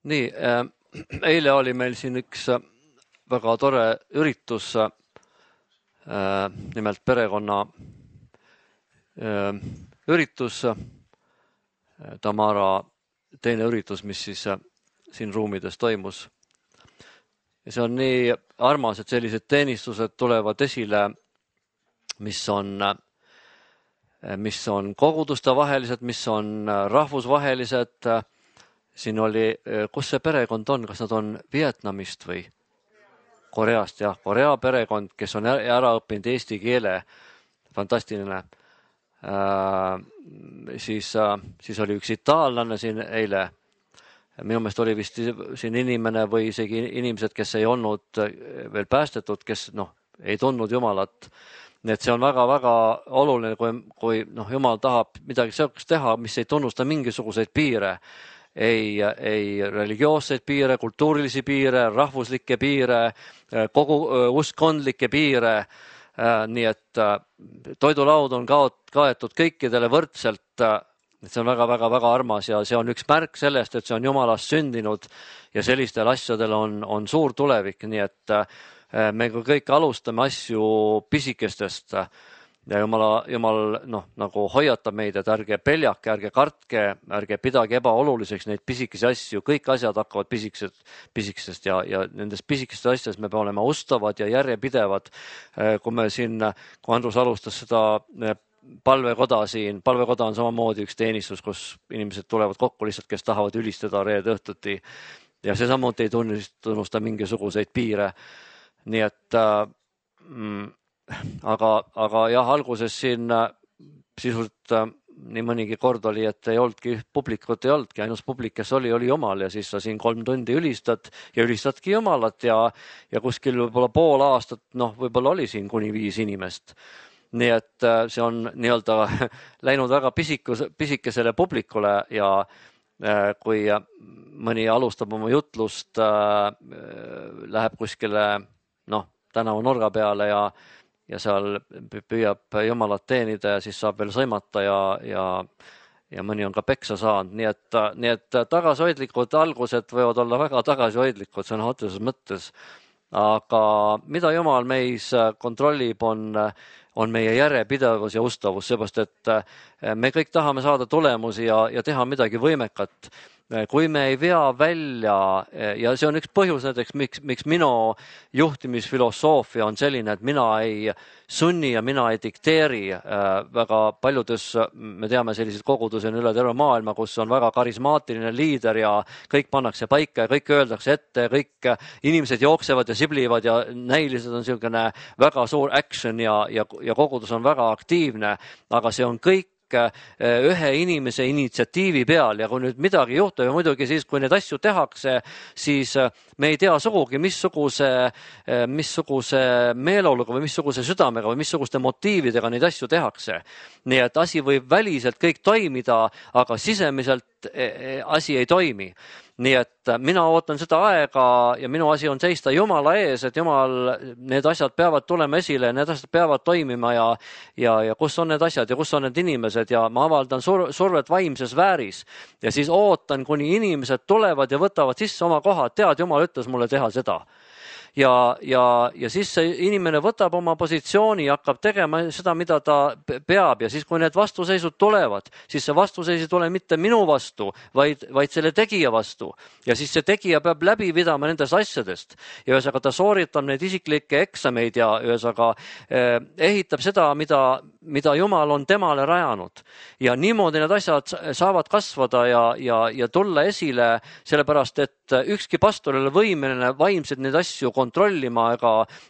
Nii, eile oli meil siin üks väga tore üritus, nimelt perekonna üritus, Tamara teine üritus, mis siis siin ruumides toimus. Ja see on nii armas, et sellised teenistused tulevad esile, mis on koguduste vahelised, mis on rahvusvahelised. Siin oli, kus see perekond on, kas nad on Vietnamist või Koreast, jah, Korea perekond, kes on ära õppinud eesti keele, fantastiline. Siis oli üks itaallane siin eile. Minu meelest oli vist siin inimene või isegi inimesed, kes ei olnud veel päästetud, kes ei tundnud Jumalat. Nii et see on väga-väga oluline, kui Jumal tahab midagi sellist teha, mis ei tunnusta mingisuguseid piire. Ei religioosseid piire, kultuurilisi piire, rahvuslikke piire, kogu uskondlikke piire. Nii et toidulaud on kaetud kõikidele võrdselt. See on väga-väga-väga armas ja see on üks märk sellest, et see on Jumalast sündinud ja sellistel asjadel on suur tulevik. Nii et me kõik alustame asju pisikestest ja Jumal nagu hoiatab meid, et ärge peljake, ärge kartke, ärge pidage ebaoluliseks neid pisikesi asju. Kõik asjad hakkavad pisikesest ja nendest pisikesest asjadest me peame olema ustavad ja järjepidevad. Kui Andrus alustas seda palvekoda siin, palvekoda on samamoodi üks teenistus, kus inimesed tulevad kokku lihtsalt, kes tahavad ülistada reede õhtuti ja see samuti ei tunnusta mingisuguseid piire. Nii et aga jah, alguses siin sisuliselt nii mõnigi kord oli, et ei olnudki publikut, ei olnudki, ainus publik, kes oli Jumal ja siis sa siin 3 tundi ülistad ja ülistadki Jumalat ja kuskil võib-olla pool aastat, võib-olla oli siin kuni 5 inimest. Nii et see on nii-öelda läinud väga pisikesele publikule ja kui mõni alustab oma jutlust, läheb kuskile tänavu nurga peale ja seal püüab Jumalat teenida ja siis saab veel sõimata ja mõni on ka peksa saanud. Nii et tagasihoidlikud algused võivad olla väga tagasihoidlikud, see on otseses mõttes. Aga mida Jumal meis kontrollib, on meie järjepidevus ja ustavus, seepärast et me kõik tahame saada tulemusi ja teha midagi võimekat. Kui me ei vea välja, ja see on üks põhjus näiteks, miks minu juhtimisfilosoofia on selline, et mina ei sunni ja mina ei dikteeri. Väga paljudes, me teame selliseid kogudusi on üle terve maailma, kus on väga karismaatiline liider ja kõik pannakse paika ja kõik öeldakse ette, kõik inimesed jooksevad ja siblivad ja näilised on selline väga suur action ja kogudus on väga aktiivne, aga see on kõik ühe inimese initsiatiivi peal ja kui nüüd midagi juhtub ja muidugi siis, kui neid asju tehakse, siis me ei tea sugugi, missuguse meeleoluga või missuguse südamega või missuguste motiividega neid asju tehakse. Nii et asi võib väliselt kõik toimida, aga sisemiselt asi ei toimi. Nii et mina ootan seda aega ja minu asi on seista Jumala ees, et Jumal, need asjad peavad tulema esile, need asjad peavad toimima ja kus on need asjad ja kus on need inimesed ja ma avaldan survet vaimses vääris ja siis ootan, kuni inimesed tulevad ja võtavad sisse oma kohad, tead, Jumal ütles mulle teha seda. Ja siis see inimene võtab oma positsiooni ja hakkab tegema seda, mida ta peab ja siis, kui need vastuseisud tulevad, siis see vastuseis ei tule mitte minu vastu, vaid selle tegija vastu ja siis see tegija peab läbi pidama nendest asjadest ja ühesõnaga ta sooritab neid isiklikke eksameid ja ühesõnaga ehitab seda, mida Jumal on temale rajanud ja niimoodi need asjad saavad kasvada ja tulla esile, sellepärast et ükski pastor ei ole võimeline vaimselt neid asju kontrollima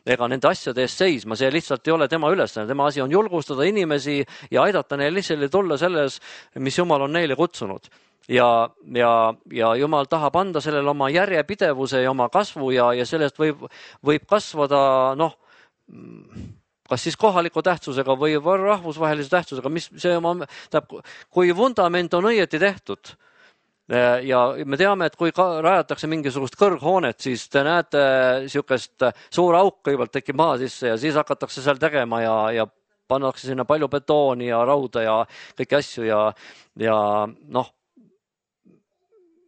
ega nende asjade eest seisma, see lihtsalt ei ole tema ülesanne, tema asi on julgustada inimesi ja aidata neil lihtsalt tulla selles, mis Jumal on neile kutsunud. Ja Jumal tahab anda sellele oma järjepidevuse ja oma kasvu ja sellest võib kasvada kas siis kohaliku tähtsusega või rahvusvahelise tähtsusega, kui vundament on õieti tehtud. Ja me teame, et kui rajatakse mingisugust kõrghoonet, siis te näete niisugust suur auk kõigepealt tekib maa sisse ja siis hakatakse seal tegema ja pannakse sinna palju betooni ja rauda ja kõiki asju ja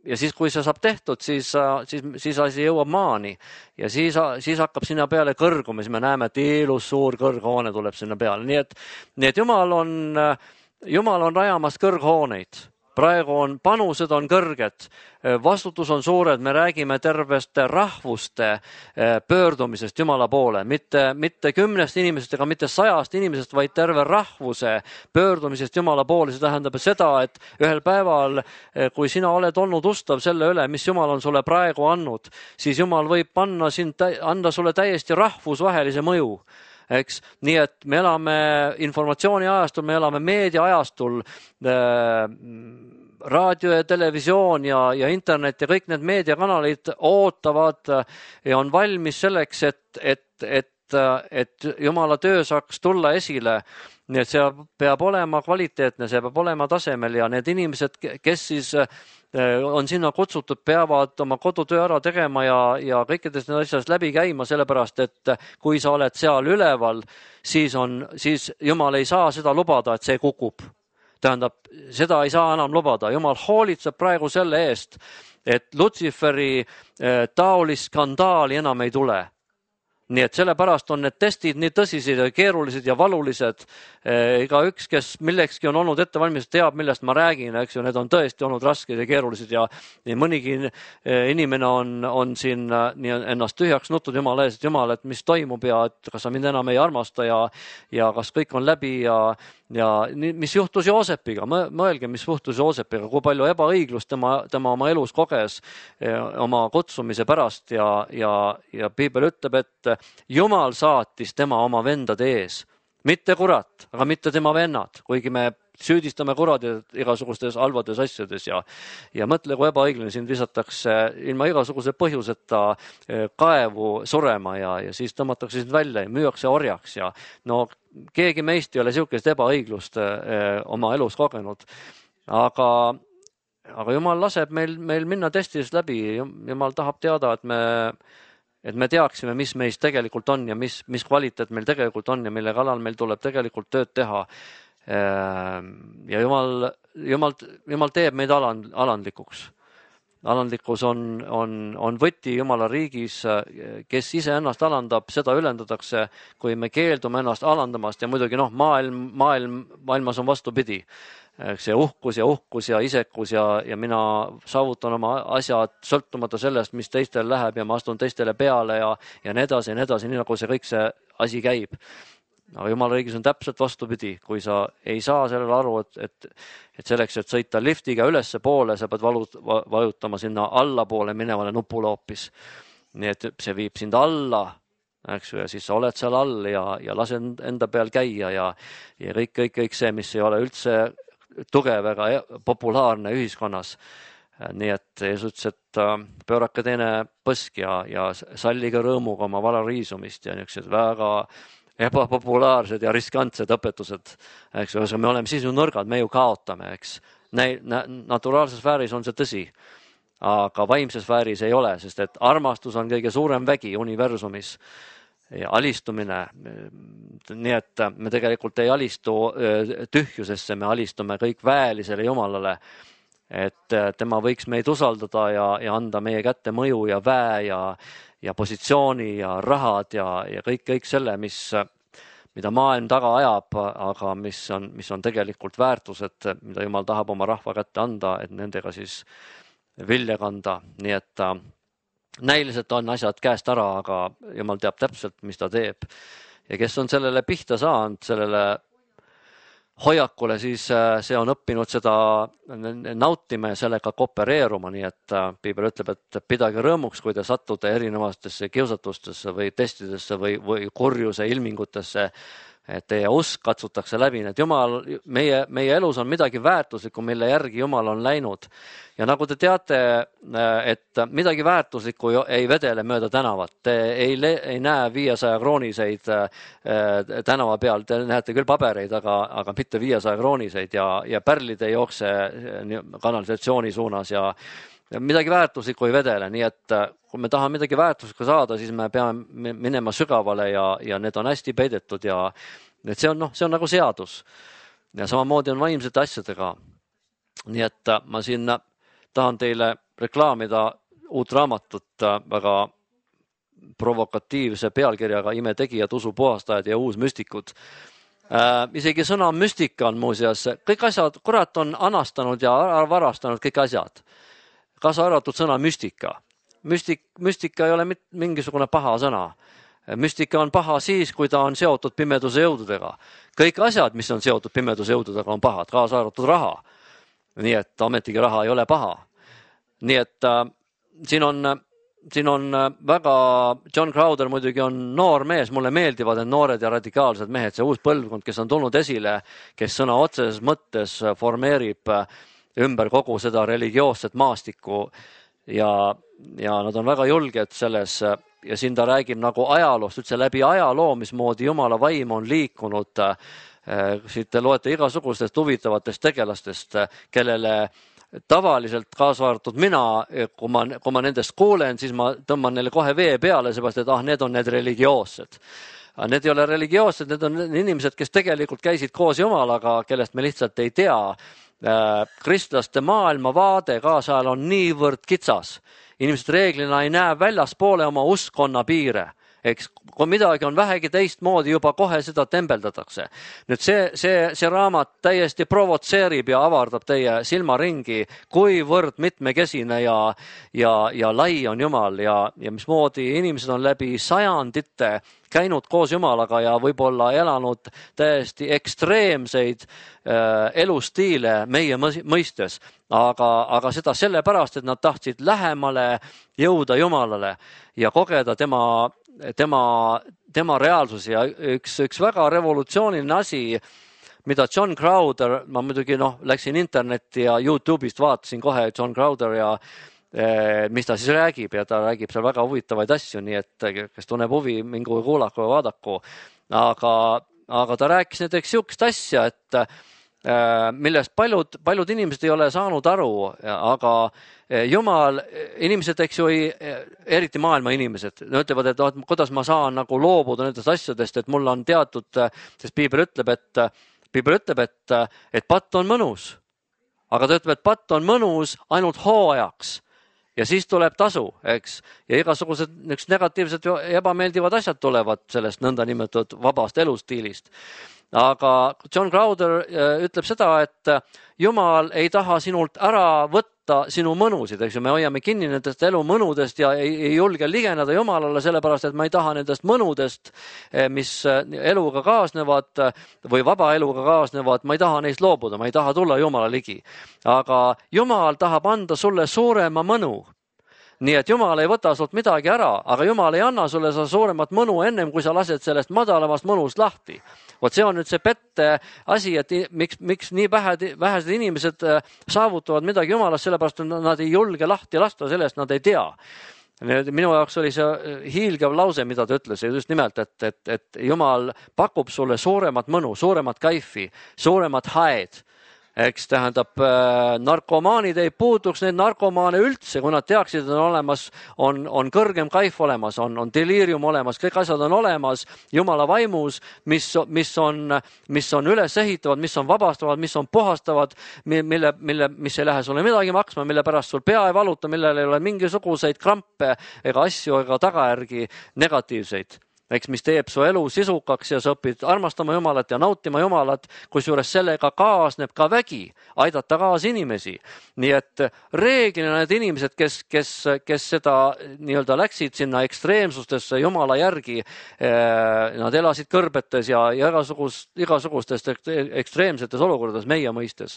ja siis, kui see saab tehtud, siis asi jõuab maani ja siis hakkab sinna peale kõrguma, siis me näeme, et ilus suur kõrghoone tuleb sinna peale. Nii et Jumal on rajamas kõrghooneid. Praegu panused on kõrged, vastutus on suured, me räägime terveste rahvuste pöördumisest Jumala poole, mitte 10 inimesest ega mitte 100 inimesest, vaid terve rahvuse pöördumisest Jumala poole. See tähendab seda, et ühel päeval, kui sina oled olnud ustav selle üle, mis Jumal on sulle praegu andnud, siis Jumal võib anda sulle täiesti rahvusvahelise mõju. Eks? Nii et me elame informatsiooni ajastul, me elame meedia ajastul, raadio ja televisioon ja internet ja kõik need meediakanalid ootavad ja on valmis selleks, et Jumala töö saaks tulla esile. Nii et see peab olema kvaliteetne, see peab olema tasemel ja need inimesed, kes siis on sinna kutsutud, peavad oma kodutöö ära tegema ja kõikidest need asjast läbi käima, sellepärast, et kui sa oled seal üleval, siis Jumal ei saa seda lubada, et see kukub. Tähendab, seda ei saa enam lubada. Jumal hoolitseb praegu selle eest, et Lutsiferi taolist skandaali enam ei tule. Nii et sellepärast on need testid nii tõsised ja keerulised ja valulised. Ega üks, kes millekski on olnud ettevalmistus, teab, millest ma räägin, eks ju, need on tõesti olnud rasked ja keerulised ja mõnigi inimene on siin ennast tühjaks nuttud Jumala ees, et Jumal, et mis toimub ja et kas sa mind enam ei armasta ja kas kõik on läbi ja mis juhtus Joosepiga, mõelge, mis juhtus Joosepiga, kui palju ebaõiglust tema oma elus koges oma kutsumise pärast ja Piibel ütleb, et Jumal saatis tema oma vendade ees, mitte kurat, aga mitte tema vennad, kuigi me süüdistame kuradid igasugustes halvades asjades ja mõtle, kui ebaõiglane sind visatakse ilma igasuguse põhjuseta kaevu surema ja siis tõmmatakse sind välja ja müüakse orjaks ja no keegi meist ei ole niisugust ebaõiglust oma elus kogenud, aga Jumal laseb meil minna testidest läbi, Jumal tahab teada, et me teaksime, mis meist tegelikult on ja mis kvaliteet meil tegelikult on ja mille kallal meil tuleb tegelikult tööd teha. Ja Jumal teeb meid alandlikuks. Alandlikkus on võti Jumala riigis, kes ise ennast alandab, seda ülendatakse, kui me keeldume ennast alandamast ja muidugi maailmas on vastupidi. See uhkus ja isekus ja mina saavutan oma asjad sõltumata sellest, mis teistel läheb ja ma astun teistele peale ja nii edasi, nii nagu see kõik see asi käib. Aga Jumala riigis on täpselt vastupidi, kui sa ei saa sellele aru, et selleks, et sõita liftiga ülesse poole, sa pead vajutama sinna allapoole minevale nupule hoopis. Nii et see viib sind alla, eks ju, ja siis sa oled seal all ja lase enda peal käia ja kõik see, mis ei ole üldse tugev ega populaarne ühiskonnas. Nii et Jeesus ütles, et pöörake teine põsk ja sallige rõõmuga oma vara riisumist ja niisugused väga ebapopulaarsed ja riskantsed õpetused. Eks, me oleme siis ju nõrgad, me ju kaotame, eks. Naturaalses sfääris on see tõsi, aga vaimses sfääris ei ole, sest et armastus on kõige suurem vägi universumis ja alistumine. Nii et me tegelikult ei alistu tühjusesse, me alistume kõik väelisele Jumalale, et tema võiks meid usaldada ja anda meie kätte mõju ja väe ja positsiooni ja rahad ja kõik selle, mida maailm taga ajab, aga mis on tegelikult väärtused, mida Jumal tahab oma rahva kätte anda, et nendega siis vilja kanda. Nii et näiliselt on asjad käest ära, aga Jumal teab täpselt, mis ta teeb. Ja kes on sellele pihta saanud, sellele hoiakule, siis see on õppinud seda nautima ja sellega koopereeruma, nii et Piibel ütleb, et pidage rõõmuks, kui te satute erinevatesse kiusatustesse või testidesse või kurjuse ilmingutesse, et teie usk katsutakse läbi. Et Jumal, meie elus on midagi väärtuslikku, mille järgi Jumal on läinud. Ja nagu te teate, et midagi väärtuslikku ei vedele mööda tänavat. Te ei näe 500 krooniseid tänava peal, te näete küll pabereid, aga mitte 500 krooniseid ja pärlid ei jookse kanalisatsiooni suunas ja midagi väärtuslikku ei vedele. Nii et kui me tahame midagi väärtuslikku saada, siis me peame minema sügavale ja need on hästi peidetud ja see on nagu seadus. Ja samamoodi on vaimsete asjadega. Nii et ma siin tahan teile reklaamida uut raamatut väga provokatiivse pealkirjaga Imetegijad, usupuhastajad ja uusmüstikud. Isegi sõna müstika on muuseas, kõik asjad, kurat on anastanud ja varastanud kõik asjad. Kaasa arvatud sõna müstika. Müstika ei ole mingisugune paha sõna. Müstika on paha siis, kui ta on seotud pimeduse jõududega. Kõik asjad, mis on seotud pimeduse jõududega, on pahad, kaasa arvatud raha. Nii et ametigi raha ei ole paha. Nii et siin on väga, John Crowder muidugi on noor mees, mulle meeldivad need noored ja radikaalsed mehed, see uus põlvkond, kes on tulnud esile, kes sõna otseses mõttes formeerib ümber kogu seda religioosset maastikku ja nad on väga julged selles ja siin ta räägib nagu ajaloost, üldse läbi ajaloo, mismoodi Jumala vaim on liikunud. Siit te loete igasugustest huvitavatest tegelastest, kellele tavaliselt kaasa arvatud mina, kui ma nendest kuulen, siis ma tõmban neile kohe vee peale, seepärast, et need on need religioossed. Need ei ole religioossed, need on inimesed, kes tegelikult käisid koos Jumalaga, kellest me lihtsalt ei tea. Kristlaste maailmavaade kaasajal on niivõrd kitsas. Inimesed reeglina ei näe väljaspoole oma uskonna piire. Eks, kui midagi on vähegi teistmoodi, juba kohe seda tembeldatakse. Nüüd see raamat täiesti provotseerib ja avardab teie silmaringi, kuivõrd mitmekesine ja lai on Jumal ja mismoodi inimesed on läbi sajandite käinud koos Jumalaga ja võib-olla elanud täiesti ekstreemseid elustiile meie mõistes, aga seda sellepärast, et nad tahtsid lähemale jõuda Jumalale ja kogeda tema reaalsus ja üks väga revolutsiooniline asi, mida John Crowder, ma muidugi läksin internetti ja YouTube'ist vaatasin kohe John Crowder ja mis ta siis räägib ja ta räägib seal väga huvitavaid asju, nii et kes tunneb huvi, mingu kuulaku ja vaadaku. Aga ta rääkis näiteks sihukest asja, et millest paljud inimesed ei ole saanud aru, aga Jumal, inimesed, eks ju, eriti maailma inimesed, ütlevad, et kuidas ma saan nagu loobuda nendest asjadest, et mul on teatud, sest Piibel ütleb, et patt on mõnus, aga ta ütleb, et patt on mõnus ainult hooajaks ja siis tuleb tasu, eks, ja igasugused negatiivsed ja ebameeldivad asjad tulevad sellest nõnda nimetatud vabast elustiilist. Aga John Crowder ütleb seda, et Jumal ei taha sinult ära võtta sinu mõnusid, eks ju, me hoiame kinni nendest elu mõnudest ja ei julge ligeneda Jumalale, sellepärast, et ma ei taha nendest mõnudest, mis eluga kaasnevad või vaba eluga kaasnevad, ma ei taha neist loobuda, ma ei taha tulla Jumala ligi. Aga Jumal tahab anda sulle suurema mõnu. Nii et Jumal ei võta sult midagi ära, aga Jumal ei anna sulle seda suuremat mõnu ennem, kui sa lased sellest madalamast mõnust lahti. Vot see on nüüd see pette asi, et miks nii vähesed inimesed saavutavad midagi Jumalast, sellepärast nad ei julge lahti lasta, sellest nad ei tea. Minu jaoks oli see hiilgav lause, mida ta ütles, just nimelt, et Jumal pakub sulle suuremat mõnu, suuremat kaifi, suuremat haed. Eks tähendab, narkomaanid ei puuduks neid narkomaane üldse, kui nad teaksid, et on olemas, on kõrgem kaif olemas, on deliirium olemas, kõik asjad on olemas Jumala vaimus, mis on üles ehitavad, mis on vabastavad, mis on puhastavad, mis ei lähe sulle midagi maksma, mille pärast sul pea ei valuta, millel ei ole mingisuguseid krampe ega asju ega tagajärgi negatiivseid. Eks, mis teeb su elu sisukaks ja sa õpid armastama Jumalat ja nautima Jumalat, kusjuures sellega kaasneb ka vägi, aidata kaasa inimesi. Nii et reeglina need inimesed, kes seda nii-öelda läksid sinna ekstreemsustesse Jumala järgi, nad elasid kõrbetes ja igasugustes ekstreemsetes olukordades meie mõistes.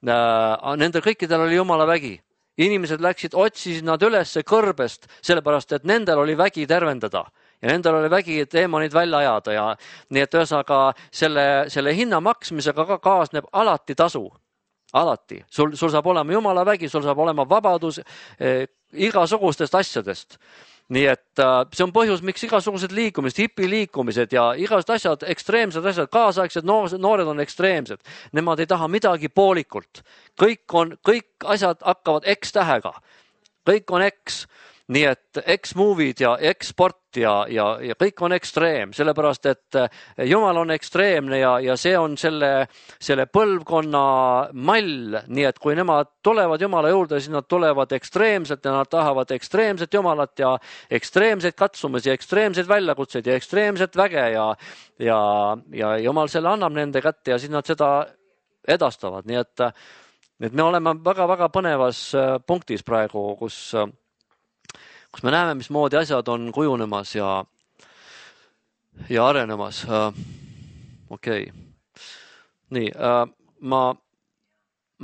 Nendel kõikidel oli Jumala vägi. Inimesed otsisid nad ülesse kõrbest, sellepärast, et nendel oli vägi tervendada. Ja nendel oli vägi deemonid välja ajada ja nii et ühesõnaga selle hinna maksmisega ka kaasneb alati tasu. Alati. Sul saab olema Jumala vägi, sul saab olema vabadus igasugustest asjadest. Nii et see on põhjus, miks igasugused liikumised, hipiliikumised ja igasugused asjad, ekstreemsed asjad, kaasaegsed noored on ekstreemsed. Nemad ei taha midagi poolikult. Kõik asjad hakkavad X-tähega. Kõik on X. nii et X-movid ja X-sport ja kõik on ekstreem, sellepärast et Jumal on ekstreemne ja see on selle põlvkonna mall, nii et kui nemad tulevad Jumala juurde, siis nad tulevad ekstreemselt ja nad tahavad ekstreemset Jumalat ja ekstreemseid katsumusi, ekstreemseid väljakutseid ja ekstreemset väge ja Jumal selle annab nende kätte ja siis nad seda edastavad, nii et me oleme väga-väga põnevas punktis praegu, kus me näeme, mismoodi asjad on kujunemas ja arenemas. Okei. Nii, ma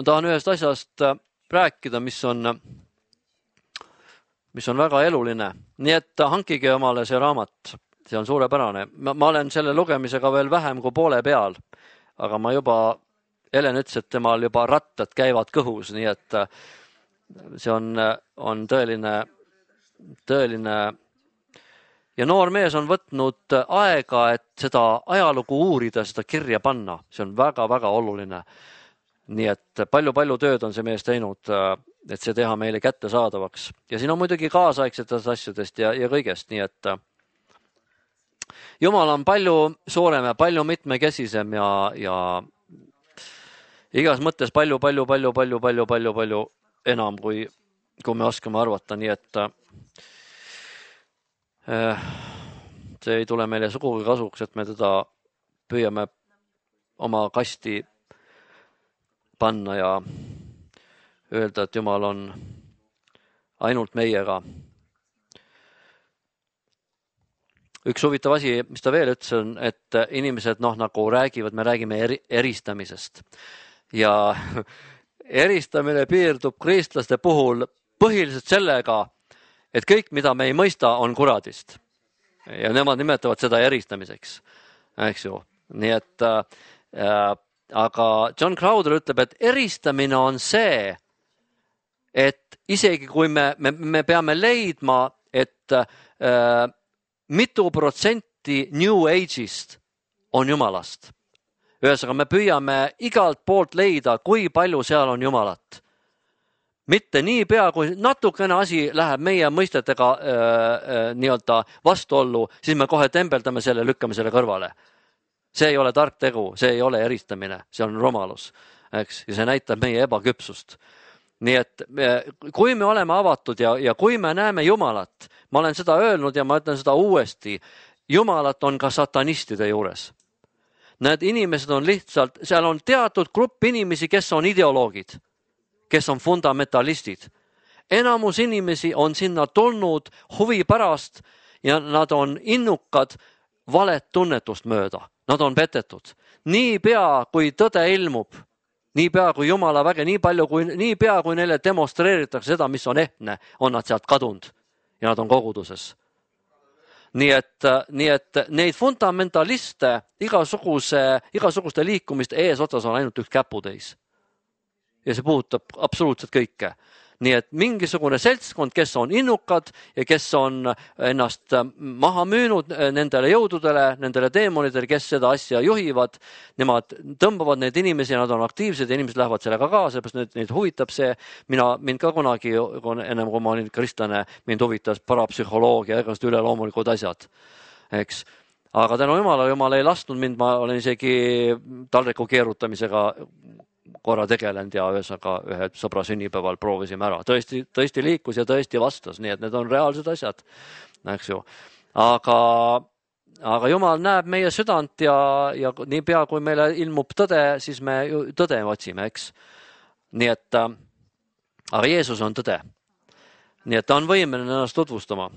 tahan ühest asjast rääkida, mis on väga eluline. Nii et hankige omale see raamat, see on suurepärane. Ma olen selle lugemisega veel vähem kui poole peal, aga ma juba, Helen ütles, et temal juba rattad käivad kõhus, nii et see on tõeline ja noor mees on võtnud aega, et seda ajalugu uurida, seda kirja panna. See on väga-väga oluline. Nii et palju tööd on see mees teinud, et see teha meile kättesaadavaks. Ja siin on muidugi kaasaegsetest asjadest ja kõigest, nii et Jumal on palju suurem ja palju mitmekesisem ja igas mõttes palju enam, kui me oskame arvata, nii et see ei tule meile sugugi kasuks, et me teda püüame oma kasti panna ja öelda, et Jumal on ainult meiega. Üks huvitav asi, mis ta veel ütles, on, et inimesed nagu räägivad, me räägime eristamisest ja eristamine piirdub kristlaste puhul põhiliselt sellega, et kõik, mida me ei mõista, on kuradist. Ja nemad nimetavad seda eristamiseks. Eks ju. Nii et, aga John Crowder ütleb, et eristamine on see, et isegi kui me peame leidma, et mitu protsenti New Age'ist on Jumalast. Ühesõnaga, me püüame igalt poolt leida, kui palju seal on Jumalat. Mitte nii pea, kui natukene asi läheb meie mõistetega nii-öelda vastuollu, siis me kohe tembeldame selle, lükkame selle kõrvale. See ei ole tark tegu, see ei ole eristamine, see on rumalus. Eks? Ja see näitab meie ebaküpsust. Nii et kui me oleme avatud ja kui me näeme Jumalat, ma olen seda öelnud ja ma ütlen seda uuesti, Jumalat on ka satanistide juures. Need inimesed on lihtsalt, seal on teatud grupp inimesi, kes on ideoloogid, kes on fundamentalistid. Enamus inimesi on sinna tulnud huvi pärast ja nad on innukad valet tunnetust mööda. Nad on petetud. Nii pea, kui tõde ilmub, nii pea, kui Jumala väge, nii pea, kui neile demonstreeritakse seda, mis on ehtne, on nad sealt kadunud ja nad on koguduses. Nii et neid fundamentaliste igasuguste liikumiste eesotsas on ainult üks käputäis. Ja see puudutab absoluutselt kõike. Nii et mingisugune seltskond, kes on innukad ja kes on ennast maha müünud nendele jõududele, nendele deemonidele, kes seda asja juhivad, nemad tõmbavad neid inimesi ja nad on aktiivsed ja inimesed lähevad sellega kaasa, sest neid huvitab see. Mind ka kunagi, ennem kui ma olin kristlane, mind huvitas parapsühholoogia ja igast üleloomulikud asjad. Eks? Aga tänu Jumal ei lasknud mind, ma olen isegi taldriku keerutamisega korra tegelenud ja ühe sõbra sünnipäeval proovisime ära. Tõesti liikus ja tõesti vastas, nii et need on reaalsed asjad. Eks ju. Aga Jumal näeb meie südant ja nii pea, kui meile ilmub tõde, siis me tõde otsime, eks. Nii et, aga Jeesus on tõde. Nii et ta on võimeline ennast tutvustama.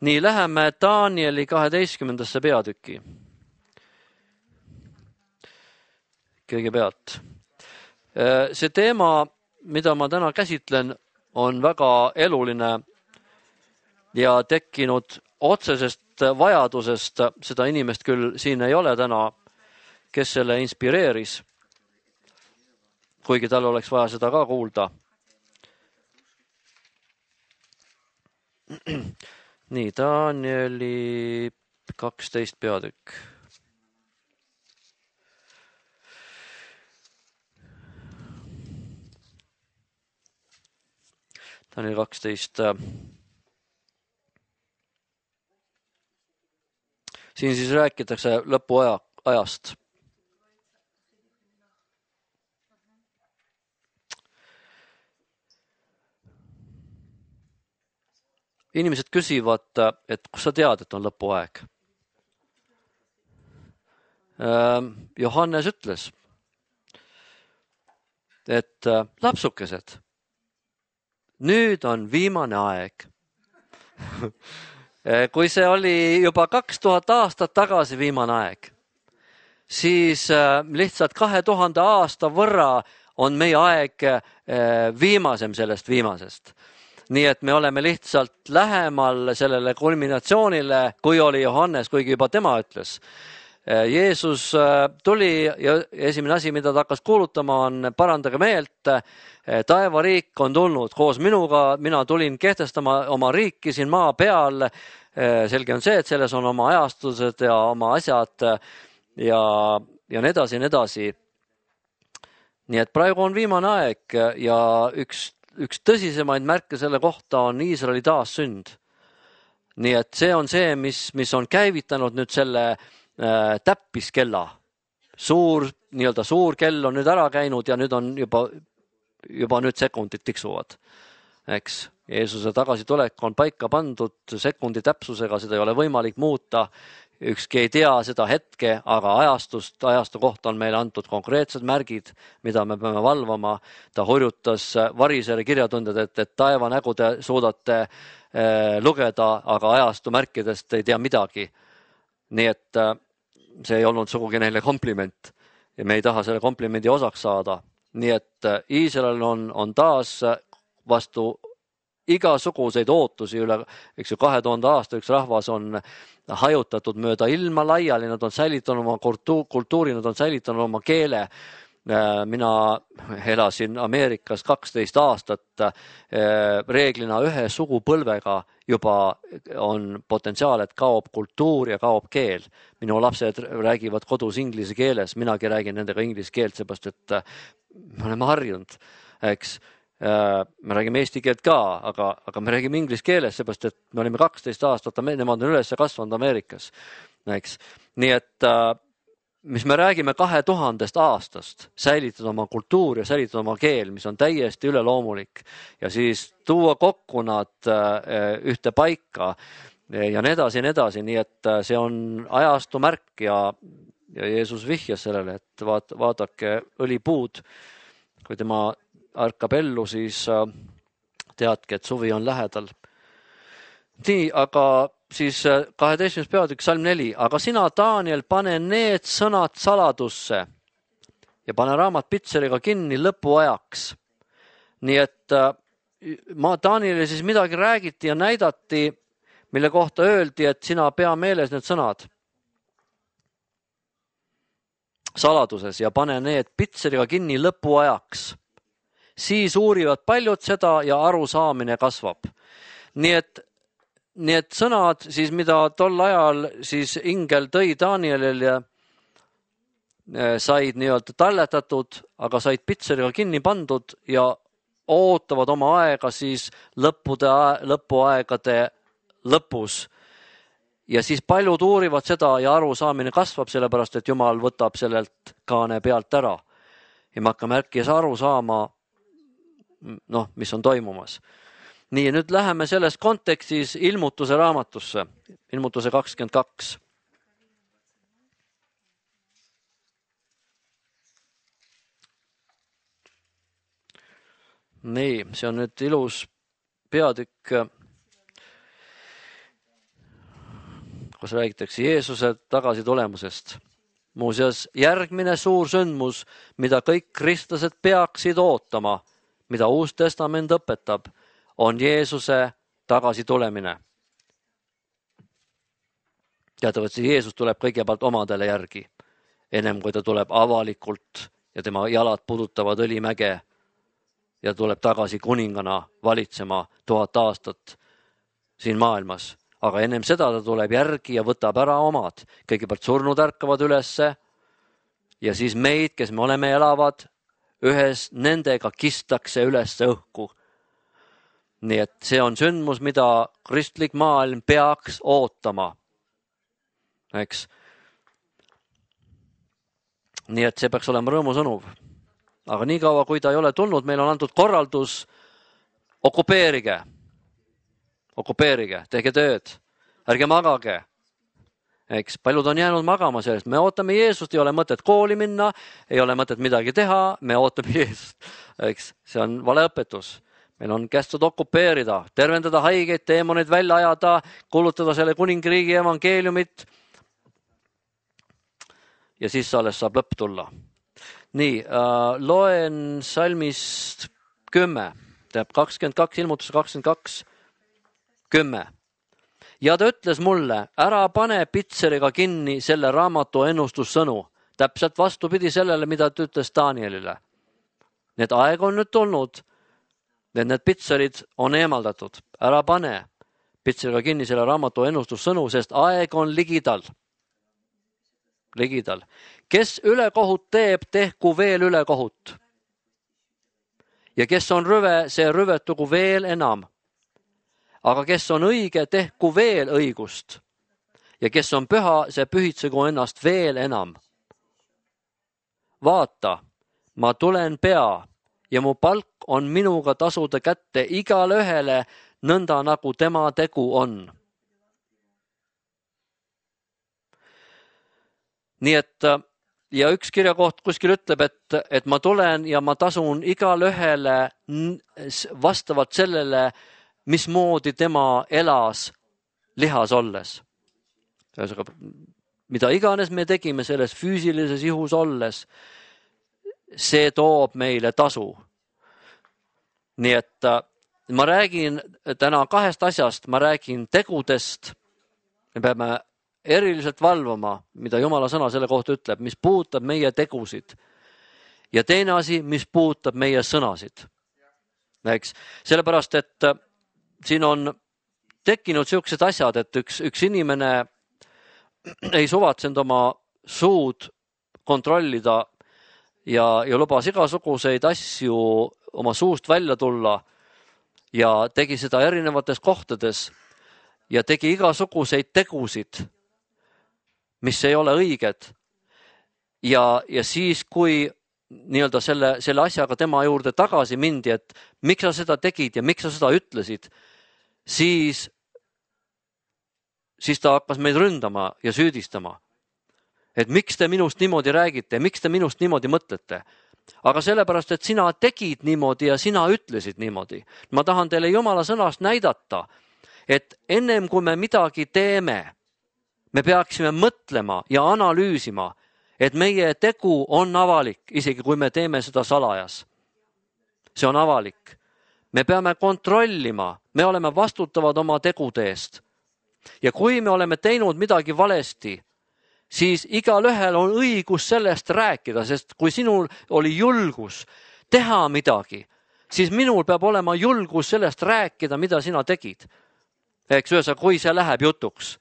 Nii, läheme Danieli 12. peatükki. Kõigepealt. See teema, mida ma täna käsitlen, on väga eluline ja tekkinud otsesest vajadusest. Seda inimest küll siin ei ole täna, kes selle inspireeris, kuigi tal oleks vaja seda ka kuulda. Nii, Danieli 12 peatükk. Daniel 12. Siin siis räägitakse lõpuajast. Inimesed küsivad, et kus sa tead, et on lõpuaeg? Johannes ütles, et lapsukesed, nüüd on viimane aeg. Kui see oli juba 2000 aastat tagasi viimane aeg, siis lihtsalt 2000 aasta võrra on meie aeg viimasem sellest viimasest. Nii et me oleme lihtsalt lähemal sellele kulminatsioonile, kui oli Johannes, kuigi juba tema ütles. Jeesus tuli ja esimene asi, mida ta hakkas kuulutama, on parandage meelt. Taevariik on tulnud koos minuga, mina tulin kehtestama oma riiki siin maa peal. Selge on see, et selles on oma ajastused ja oma asjad ja nii edasi, nii edasi. Nii et praegu on viimane aeg ja üks tõsisemaid märke selle kohta on Iisraeli taassünd. Nii et see on see, mis on käivitanud nüüd selle täppiskella. Nii-öelda suur kell on nüüd ära käinud ja nüüd on juba nüüd sekundid tiksuvad. Eks? Jeesuse tagasitulek on paika pandud sekundi täpsusega, seda ei ole võimalik muuta. Ükski ei tea seda hetke, aga ajastu kohta on meile antud konkreetsed märgid, mida me peame valvama. Ta hurjutas Varisere kirjatundjad, et taeva nägu te suudate lugeda, aga ajastu märkidest ei tea midagi. Nii et see ei olnud sugugi neile kompliment ja me ei taha selle komplimendi osaks saada. Nii et Iisrael on taas vastu igasuguseid ootusi üle, 2000 aasta üks rahvas on hajutatud mööda ilma laiali, nad on säilitanud oma kultuuri, nad on säilitanud oma keele. Mina elasin Ameerikas 12 aastat, reeglina ühe sugupõlvega juba on potentsiaal, et kaob kultuur ja kaob keel. Minu lapsed räägivad kodus inglise keeles, minagi räägin nendega inglise keelt, seepärast et me oleme harjunud, eks. Me räägime eesti keelt ka, aga me räägime inglise keeles, seepärast et me olime 12 aastat, nemad on üles kasvanud Ameerikas. Eks. Nii et mis me räägime 2000 aastast, säilitada oma kultuur ja säilitada oma keel, mis on täiesti üleloomulik ja siis tuua kokku nad ühte paika ja nii edasi, nii et see on ajastu märk ja Jeesus vihjas sellele, et vaadake õlipuud, kui tema ärkab ellu, siis teadke, et suvi on lähedal. Nii, aga siis 12. peatükk, salm 4. Aga sina, Daniel, pane need sõnad saladusse ja pane raamat pitseriga kinni lõpuajaks. Nii et Danielile siis midagi räägiti ja näidati, mille kohta öeldi, et sina pea meeles need sõnad saladuses ja pane need pitseriga kinni lõpuajaks. Siis uurivad paljud seda ja arusaamine kasvab. Nii et sõnad, siis mida tol ajal siis ingel tõi Danielile, said nii-öelda talletatud, aga said pitseriga kinni pandud ja ootavad oma aega siis lõpuaegade lõpus. Ja siis paljud uurivad seda ja arusaamine kasvab, sellepärast et Jumal võtab sellelt kaane pealt ära. Ja me hakkame äkki aru saama, mis on toimumas. Nii, nüüd läheme selles kontekstis ilmutuse raamatusse, ilmutuse 22. Nii, see on nüüd ilus peatükk, kus räägitakse Jeesuse tagasitulemusest. Muuseas, järgmine suur sündmus, mida kõik kristlased peaksid ootama, mida Uus Testament õpetab, on Jeesuse tagasitulemine. Teatavasti Jeesus tuleb kõigepealt omadele järgi, ennem kui ta tuleb avalikult ja tema jalad pudutavad õlimäge ja tuleb tagasi kuningana valitsema 1000 aastat siin maailmas. Aga ennem seda ta tuleb järgi ja võtab ära omad. Kõigepealt surnud ärkavad ülesse ja siis meid, kes me oleme elavad, ühes nendega kistakse ülesse õhku. Nii et see on sündmus, mida kristlik maailm peaks ootama. eks. Nii et see peaks olema rõõmusõnum. Aga nii kaua, kui ta ei ole tulnud, meil on antud korraldus, okupeerige, tehke tööd, ärge magage. Eks, paljud on jäänud magama sellest, me ootame Jeesust, ei ole mõtet kooli minna, ei ole mõtet midagi teha, me ootame Jeesust. Eks, see on valeõpetus. Meil on kästud okupeerida, tervendada haigeid, teemoneid välja ajada, kuulutada selle kuningriigi evangeeliumit. Ja siis alles saab lõpp tulla. Nii, loen salmist 10, teeb 22, ilmutus 22, 10. Ja ta ütles mulle, ära pane pitseriga kinni selle raamatu ennustussõnu. Täpselt vastupidi sellele, mida ta ütles Danielile. Need aeg on nüüd tulnud, need pitserid on eemaldatud. Ära pane pitseriga kinni selle raamatu ennustussõnu, sest aeg on ligidal. Kes ülekohut teeb, tehku veel ülekohut. Ja kes on rüve, see rüvetugu veel enam. Aga kes on õige, tehku veel õigust. Ja kes on püha, see pühitsegu ennast veel enam. Vaata, ma tulen pea ja mu palk on minuga tasuda kätte igale ühele nõnda, nagu tema tegu on. Nii et, ja üks kirjakoht kuskil ütleb, et ma tulen ja ma tasun igale ühele vastavalt sellele, mismoodi tema elas lihas olles. Mida iganes me tegime selles füüsilises ihus olles, see toob meile tasu. Nii et ma räägin täna kahest asjast, ma räägin tegudest, me peame eriliselt valvama, mida Jumala sõna selle kohta ütleb, mis puudutab meie tegusid. Ja teine asi, mis puudutab meie sõnasid. Eks? Sellepärast, et siin on tekkinud sellised asjad, et üks inimene ei suvatsenud oma suud kontrollida ja lubas igasuguseid asju oma suust välja tulla ja tegi seda erinevates kohtades ja tegi igasuguseid tegusid, mis ei ole õiged. Ja siis, kui nii-öelda selle asjaga tema juurde tagasi mindi, et miks sa seda tegid ja miks sa seda ütlesid, siis ta hakkas meid ründama ja süüdistama. Et miks te minust niimoodi räägite, miks te minust niimoodi mõtlete. Aga sellepärast, et sina tegid niimoodi ja sina ütlesid niimoodi. Ma tahan teile Jumala sõnast näidata, et ennem kui me midagi teeme, me peaksime mõtlema ja analüüsima, et meie tegu on avalik, isegi kui me teeme seda salajas. See on avalik. Me peame kontrollima, me oleme vastutavad oma tegude eest. Ja kui me oleme teinud midagi valesti, siis igal ühel on õigus sellest rääkida, sest kui sinul oli julgus teha midagi, siis minul peab olema julgus sellest rääkida, mida sina tegid. Eks ühesõnaga, kui see läheb jutuks.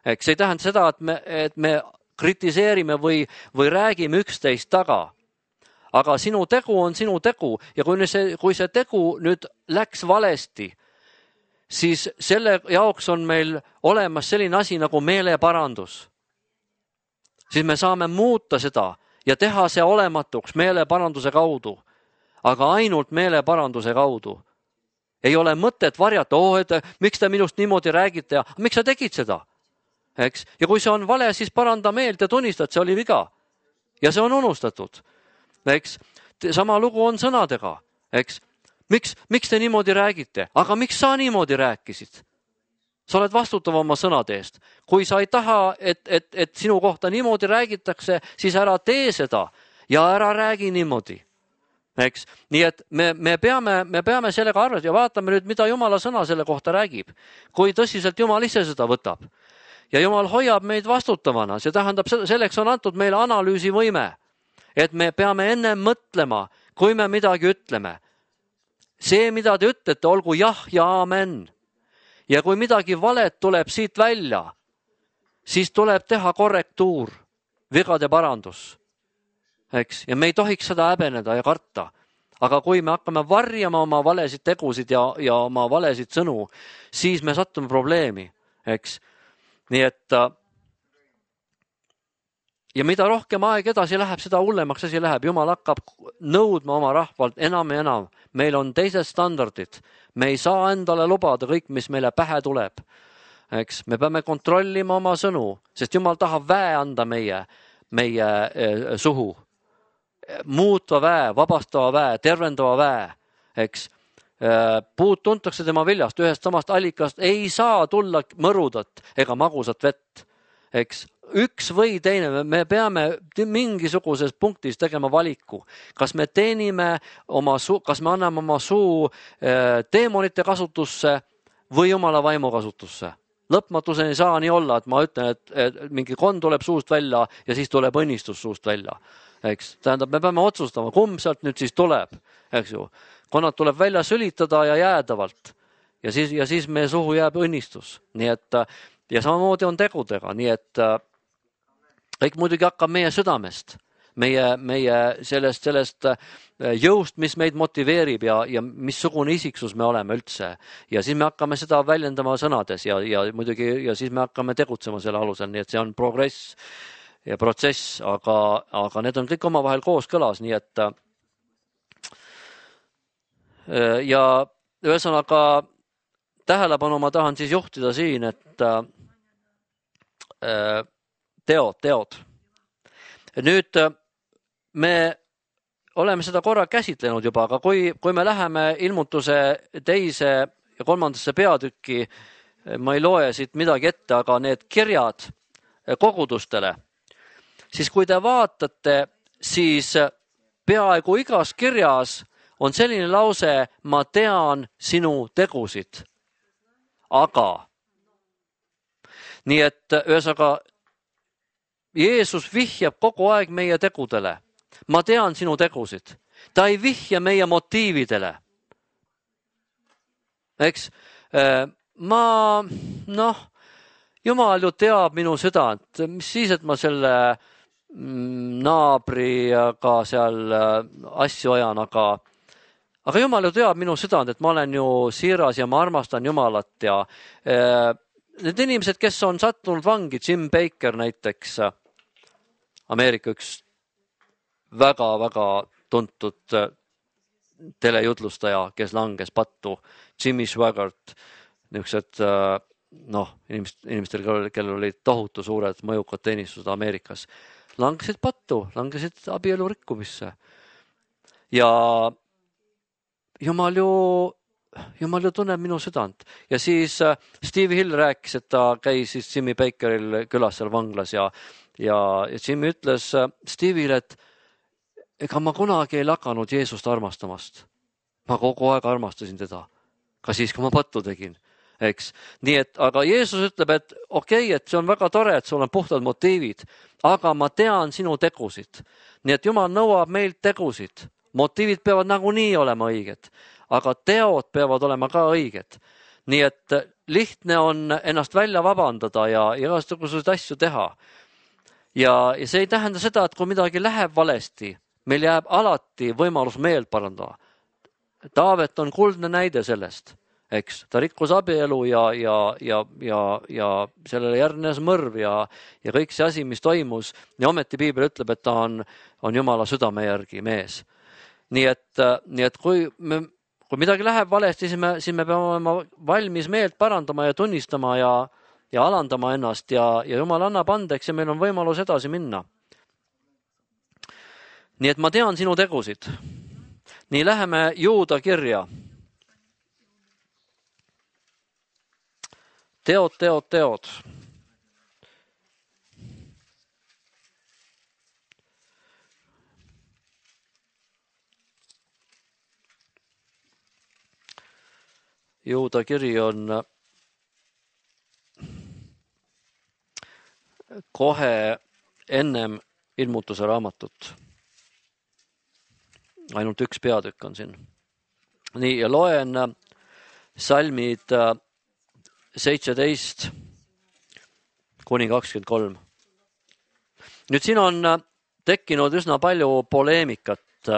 Eks ei tähenda seda, et me kritiseerime või räägime üksteist taga. Aga sinu tegu on sinu tegu ja kui see tegu nüüd läks valesti, siis selle jaoks on meil olemas selline asi nagu meeleparandus. Siis me saame muuta seda ja teha see olematuks meeleparanduse kaudu, aga ainult meeleparanduse kaudu. Ei ole mõtet varjata, et miks te minust niimoodi räägite ja miks sa tegid seda? Eks? Ja kui see on vale, siis paranda meelt ja tunnista, et see oli viga. Ja see on unustatud. Eks? Sama lugu on sõnadega. Eks? Miks te niimoodi räägite? Aga miks sa niimoodi rääkisid? Sa oled vastutav oma sõnade eest. Kui sa ei taha, et sinu kohta niimoodi räägitakse, siis ära tee seda ja ära räägi niimoodi. Eks? Nii et me peame sellega arvestama ja vaatame nüüd, mida Jumala sõna selle kohta räägib. Kui tõsiselt Jumal ise seda võtab. Ja Jumal hoiab meid vastutavana. See tähendab, selleks on antud meile analüüsivõime. Et me peame enne mõtlema, kui me midagi ütleme. See, mida te ütlete, olgu jah ja amen. Ja kui midagi valet tuleb siit välja, siis tuleb teha korrektuur, vigade parandus. Eks? Ja me ei tohiks seda häbeneda ja karta. Aga kui me hakkame varjama oma valesid tegusid ja oma valesid sõnu, siis me sattume probleemi. Eks? Nii et ja mida rohkem aeg edasi läheb, seda hullemaks asi läheb. Jumal hakkab nõudma oma rahvalt enam ja enam. Meil on teised standardid. Me ei saa endale lubada kõik, mis meile pähe tuleb. Eks? Me peame kontrollima oma sõnu, sest Jumal tahab väe anda meie suhu. Muutva väe, vabastava väe, tervendava väe. Eks? Puud tuntakse tema viljast, ühest samast allikast ei saa tulla mõrudat ega magusat vett. Eks? Üks või teine, me peame mingisuguses punktis tegema valiku. Kas me teenime kas me anname oma suu teemonite kasutusse või Jumala vaimu kasutusse. Lõpmatuseni ei saa nii olla, et ma ütlen, et mingi kond tuleb suust välja ja siis tuleb õnnistus suust välja. Eks? Tähendab, me peame otsustama, kumb sealt nüüd siis tuleb. Eks ju? Konnad tuleb välja sülitada ja jäädavalt. Ja siis meie suhu jääb õnnistus. Nii et, ja samamoodi on tegudega. Nii et kõik muidugi hakkab meie südamest, meie sellest jõust, mis meid motiveerib ja missugune isiksus me oleme üldse. Ja siis me hakkame seda väljendama sõnades ja muidugi ja siis me hakkame tegutsema selle alusel. Nii et see on progress ja protsess, aga need on kõik omavahel kooskõlas. Nii et ja ühesõnaga tähelepanu ma tahan siis juhtida siin, et teod. Nüüd me oleme seda korra käsitlenud juba, aga kui me läheme ilmutuse 2. ja 3. peatükki, ma ei loe siit midagi ette, aga need kirjad kogudustele, siis kui te vaatate, siis peaaegu igas kirjas on selline lause, ma tean sinu tegusid, aga. Nii et ühesõnaga Jeesus vihjab kogu aeg meie tegudele. Ma tean sinu tegusid. Ta ei vihja meie motiividele. Eks? Jumal ju teab minu südant. Mis siis, et ma selle naabriga seal asju ajan, aga Jumal ju teab minu südant, et ma olen ju siiras ja ma armastan Jumalat ja need inimesed, kes on sattunud vangi, Jim Baker näiteks, Ameerika üks väga-väga tuntud telejutlustaja, kes langes pattu, Jimmy Swaggart, niisugused inimestel, kellel olid tohutu suured mõjukad teenistused Ameerikas, langesid pattu, langesid abielu rikkumisse. Ja Jumal ju tunneb minu südant. Ja siis Steve Hill rääkis, et ta käis siis Jimmy Bakeril külas seal vanglas ja Jimmy ütles Steve'ile, et ega ma kunagi ei lakanud Jeesust armastamast. Ma kogu aeg armastasin teda. Ka siis, kui ma pattu tegin. Eks? Nii et, aga Jeesus ütleb, et okei, et see on väga tore, et sul on puhtad motiivid, aga ma tean sinu tegusid. Nii et Jumal nõuab meilt tegusid. Motiivid peavad nagunii olema õiged, aga teod peavad olema ka õiged. Nii et lihtne on ennast välja vabandada ja igasuguseid asju teha. Ja see ei tähenda seda, et kui midagi läheb valesti, meil jääb alati võimalus meelt parandada. Taavet on kuldne näide sellest, eks. Ta rikkus abielu ja sellele järgnes mõrv ja kõik see asi, mis toimus. Ja ometi Piibel ütleb, et ta on Jumala südame järgi mees. Nii et kui midagi läheb valesti, siis me peame olema valmis meelt parandama ja tunnistama ja alandama ennast ja Jumal annab andeks ja meil on võimalus edasi minna. Nii et ma tean sinu tegusid. Nii läheme Juuda kirja. Teod. Juuda kiri on kohe ennem ilmutuse raamatut. Ainult üks peatükk on siin. Nii, ja loen salmid 17 kuni 23. Nüüd siin on tekkinud üsna palju poleemikat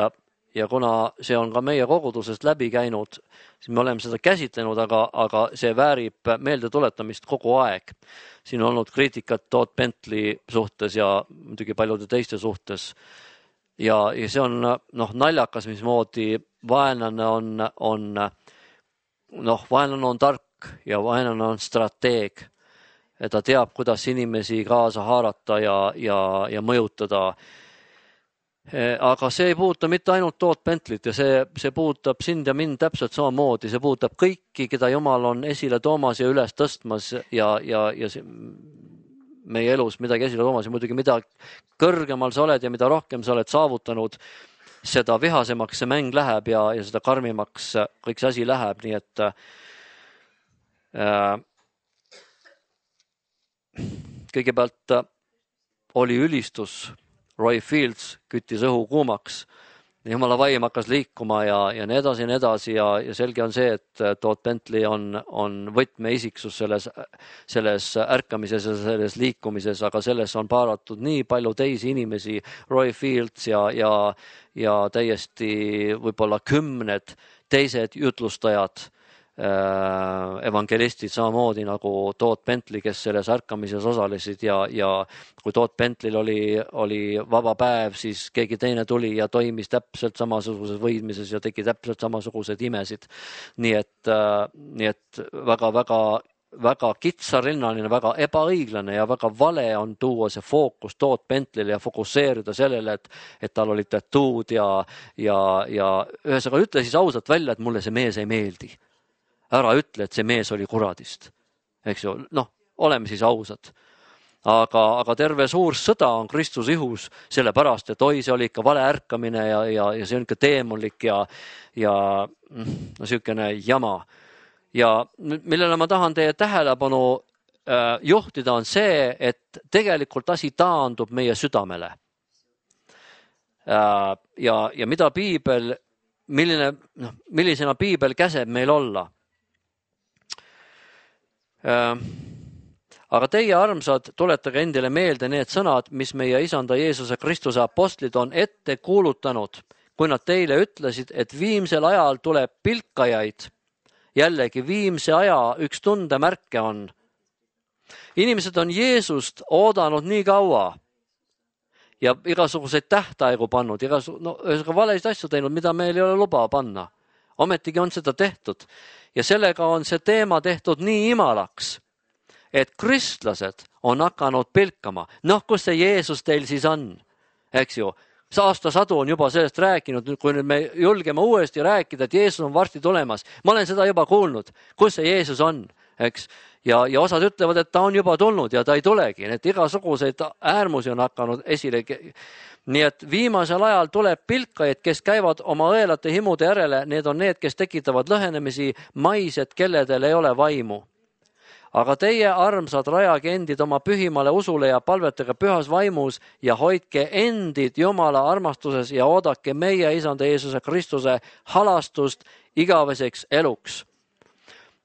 ja kuna see on ka meie kogudusest läbi käinud, siis me oleme seda käsitlenud, aga see väärib meelde tuletamist kogu aeg. Siin on olnud kriitikat Todd Bentley suhtes ja muidugi paljude teiste suhtes. Ja see on naljakas, mismoodi vaenlane on tark ja vaenlane on strateeg. Ta teab, kuidas inimesi kaasa haarata ja mõjutada. Aga see ei puuduta mitte ainult Todd Bentleyt ja see puudutab sind ja mind täpselt samamoodi. See puudutab kõiki, keda Jumal on esile toomas ja üles tõstmas ja meie elus midagi esile toomas. Ja muidugi mida kõrgemal sa oled ja mida rohkem sa oled saavutanud, seda vihasemaks see mäng läheb ja seda karmimaks kõik see asi läheb. Nii et kõigepealt oli ülistus. Roy Fields küttis õhu kuumaks, Jumala vaim hakkas liikuma ja nii edasi ja selge on see, et Todd Bentley on võtmeisiksus selles ärkamises ja selles liikumises, aga selles on paaratud nii palju teisi inimesi, Roy Fields ja täiesti võib-olla 10 teised jutlustajad, evangelistid samamoodi nagu Todd Bentley, kes selles ärkamises osalesid ja kui Todd Bentleyl oli vaba päev, siis keegi teine tuli ja toimis täpselt samasuguses võidmises ja tegi täpselt samasugused imesid. Nii et väga kitsarinnaline, väga ebaõiglane ja väga vale on tuua see fookus Todd Bentley'le ja fokusseerida sellele, et tal oli tatuud ja ühesõnaga ütle siis ausalt välja, et mulle see mees ei meeldi. Ära ütle, et see mees oli kuradist. Eks ju, oleme siis ausad. Aga terve suur sõda on Kristuse ihus sellepärast, et see oli ikka vale ärkamine ja see on ikka teemonlik ja sihukene jama. Ja millele ma tahan teie tähelepanu juhtida on see, et tegelikult asi taandub meie südamele. Ja mida piibel, millisena piibel käseb meil olla. Aga teie armsad, tuletage endile meelde need sõnad, mis meie isanda Jeesuse Kristuse apostlid on ette kuulutanud, kui nad teile ütlesid, et viimsel ajal tuleb pilkajaid. Jällegi viimse aja üks tundemärke on. Inimesed on Jeesust oodanud nii kaua ja igasuguseid tähtaegu pannud, valesid asju teinud, mida meil ei ole luba panna. Ometigi on seda tehtud ja sellega on see teema tehtud nii imalaks, et kristlased on hakanud pilkama. Kus see Jeesus teil siis on? Eks ju, aastasadu on juba sellest rääkinud, kui nüüd me julgeme uuesti rääkida, et Jeesus on varsti tulemas. Ma olen seda juba kuulnud, kus see Jeesus on, eks? Ja osad ütlevad, et ta on juba tulnud ja ta ei tulegi. Need igasuguseid äärmusi on hakanud esile. Nii et viimasel ajal tuleb pilkajaid, kes käivad oma õelate himude järele. Need on need, kes tekitavad lõhenemisi, maised, kelledel ei ole vaimu. Aga teie armsad rajage endid oma pühimale usule ja palvetage pühas vaimus ja hoidke endid Jumala armastuses ja oodake meie isanda Jeesuse Kristuse halastust igaveseks eluks.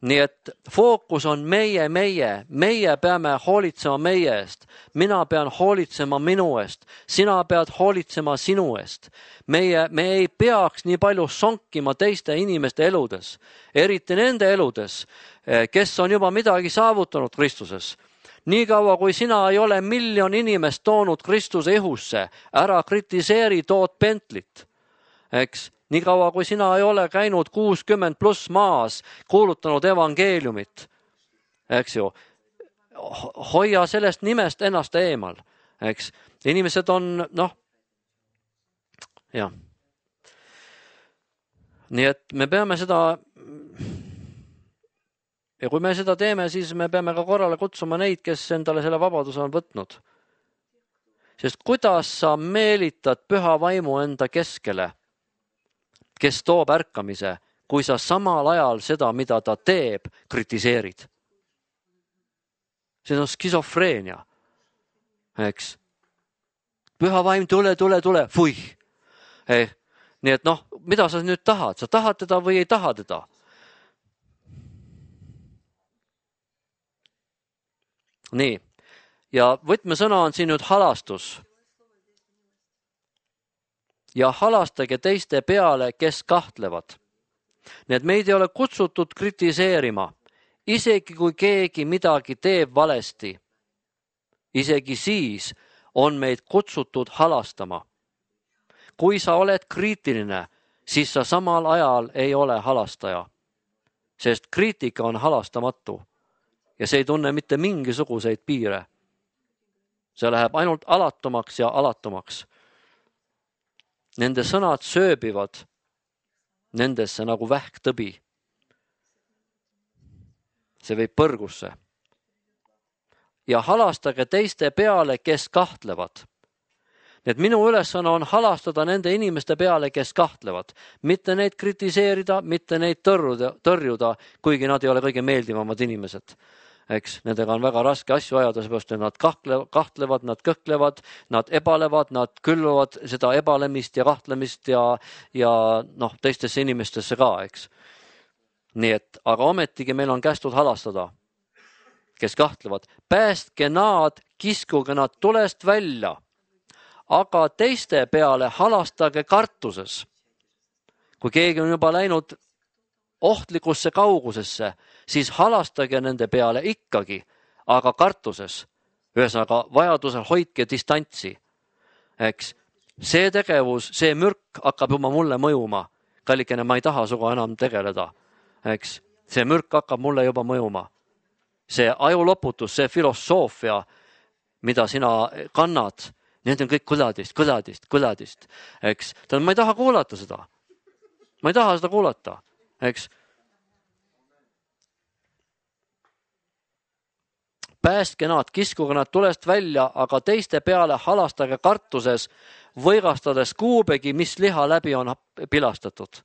Nii et fookus on meie peame hoolitsema meie eest. Mina pean hoolitsema minu eest. Sina pead hoolitsema sinu eest. Me ei peaks nii palju sonkima teiste inimeste eludes, eriti nende eludes, kes on juba midagi saavutanud Kristuses. Nii kaua, kui sina ei ole 1 miljon inimest toonud Kristuse ihusse, ära kritiseeri Todd Bentleyt, eks? Nii kaua, kui sina ei ole käinud 60+ maas, kuulutanud evangeeliumit, eks ju, hoia sellest nimest ennast eemal, eks. Inimesed on, jah. Nii et me peame seda, ja kui me seda teeme, siis me peame ka korrale kutsuma neid, kes endale selle vabaduse on võtnud. Sest kuidas sa meelitad püha vaimu enda keskele, kes toob ärkamise, kui sa samal ajal seda, mida ta teeb, kritiseerid. See on skisofreenia, eks. Püha vaim, tule, fuih. Nii et mida sa nüüd tahad? Sa tahad teda või ei taha teda? Nii, ja võtmesõna on siin nüüd halastus. ja halastage teiste peale, kes kahtlevad. Nii et meid ei ole kutsutud kritiseerima, isegi kui keegi midagi teeb valesti. Isegi siis on meid kutsutud halastama. Kui sa oled kriitiline, siis sa samal ajal ei ole halastaja, sest kriitika on halastamatu ja see ei tunne mitte mingisuguseid piire. See läheb ainult alatumaks ja alatumaks. Nende sõnad sööbivad nendesse nagu vähktõbi. See võib põrgusse. Ja halastage teiste peale, kes kahtlevad. Nii et minu ülesanne on halastada nende inimeste peale, kes kahtlevad. Mitte neid kritiseerida, mitte neid tõrjuda, kuigi nad ei ole kõige meeldivamad inimesed. Eks, nendega on väga raske asju ajada, seepärast, et nad kahtlevad, nad kõhklevad, nad ebalevad, nad külvavad seda ebalemist ja kahtlemist ja teistesse inimestesse ka, eks. Nii et, aga ometigi meil on kästud halastada, kes kahtlevad. Päästke nad, kiskuge nad tulest välja, aga teiste peale halastage kartuses. Kui keegi on juba läinud ohtlikusse kaugusesse, siis halastage nende peale ikkagi, aga kartuses. Ühesõnaga, vajadusel hoidke distantsi. Eks, see tegevus, see mürk hakkab juba mulle mõjuma. Kallikene, ma ei taha suga enam tegeleda. Eks, see mürk hakkab mulle juba mõjuma. See ajuloputus, see filosoofia, mida sina kannad, need on kõik kõladist. Eks, ma ei taha kuulata seda. Ma ei taha seda kuulata. Eks. Päästke nad, kiskuge nad tulest välja, aga teiste peale halastage kartuses, võigastades kuubegi, mis liha läbi on pilastatud.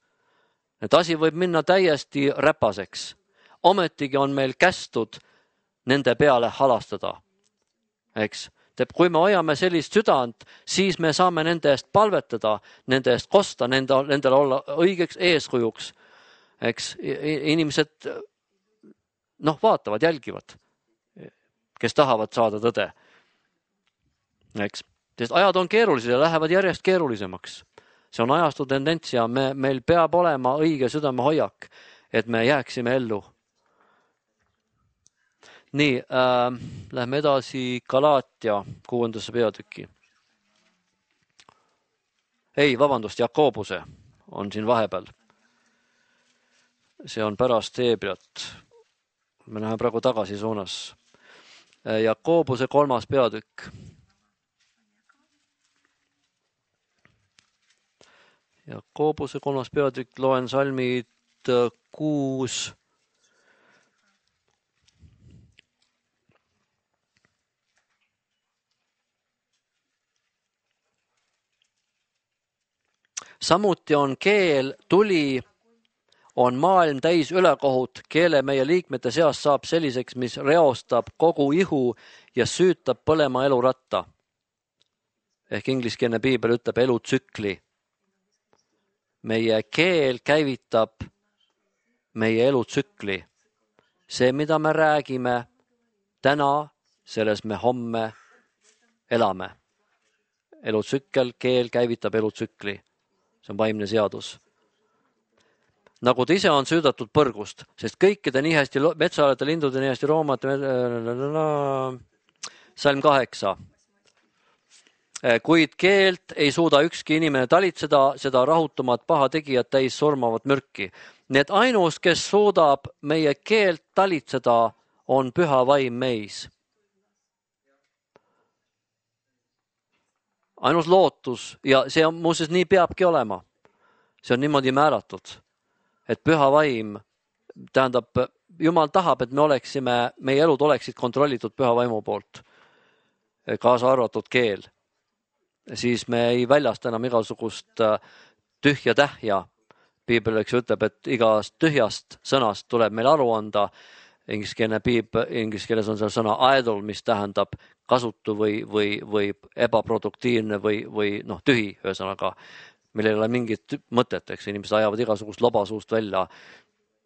Et asi võib minna täiesti räpaseks. Ometigi on meil kästud nende peale halastada. Eks. Kui me hoiame sellist südant, siis me saame nende eest palvetada, nende eest kosta, nendele olla õigeks eeskujuks. Eks, inimesed vaatavad, jälgivad, kes tahavad saada tõde. Eks, sest ajad on keerulised ja lähevad järjest keerulisemaks. See on ajastu tendents ja meil peab olema õige südamehoiak, et me jääksime ellu. Nii, lähme edasi Galaatia 6. peatüki. Ei, vabandust, Jakobuse on siin vahepeal. See on pärast Heebreat. Me läheme praegu tagasi suunas. Jakobuse 3. peatükk. Jakobuse 3. peatükk, loen salmid 6. Samuti on keel, tuli, on maailm täis ülekohut, keele meie liikmete seas saab selliseks, mis reostab kogu ihu ja süütab põlema eluratta. Ehk ingliskeelne piibel ütleb elutsükli. Meie keel käivitab meie elutsükli. See, mida me räägime täna, selles me homme elame. Elutsükkel, keel käivitab elutsükli. See on vaimne seadus. Nagu ta ise on süüdatud põrgust, sest kõikide nii hästi metsaalete, lindude nii hästi roomate, salm 8. Kuid keelt ei suuda ükski inimene talitseda, seda rahutumat pahategijat täis surmavat mürki. Nii et ainus, kes suudab meie keelt talitseda, on püha vaim meis. Ainus lootus ja see on muuseas nii peabki olema. See on niimoodi määratud, et püha vaim tähendab, Jumal tahab, et meie elud oleksid kontrollitud püha vaimu poolt, kaasa arvatud keel. Siis me ei väljasta enam igasugust tühja tähja. Piibel ütleb, et igast tühjast sõnast tuleb meil aru anda. Inglise keeles on seal sõna idle, mis tähendab kasutu või ebaproduktiivne või tühi, ühesõnaga, meil ei ole mingit mõtet, eks inimesed ajavad igasugust lobasuust välja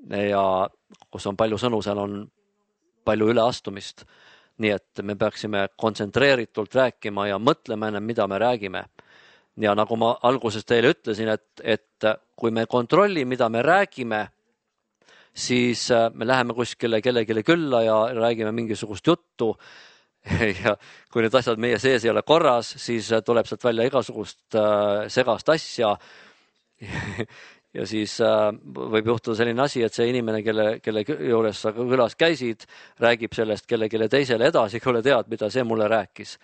ja kus on palju sõnu, seal on palju üleastumist. Nii et me peaksime kontsentreeritult rääkima ja mõtlema enne, mida me räägime. Ja nagu ma alguses teile ütlesin, et kui me kontrolli, mida me räägime, siis me läheme kuskile kellelegi külla ja räägime mingisugust juttu ja kui need asjad meie sees ei ole korras, siis tuleb sealt välja igasugust segast asja ja siis võib juhtuda selline asi, et see inimene, kelle juures sa külas käisid, räägib sellest kellelegi teisele edasi, kuule tead, mida see mulle rääkis.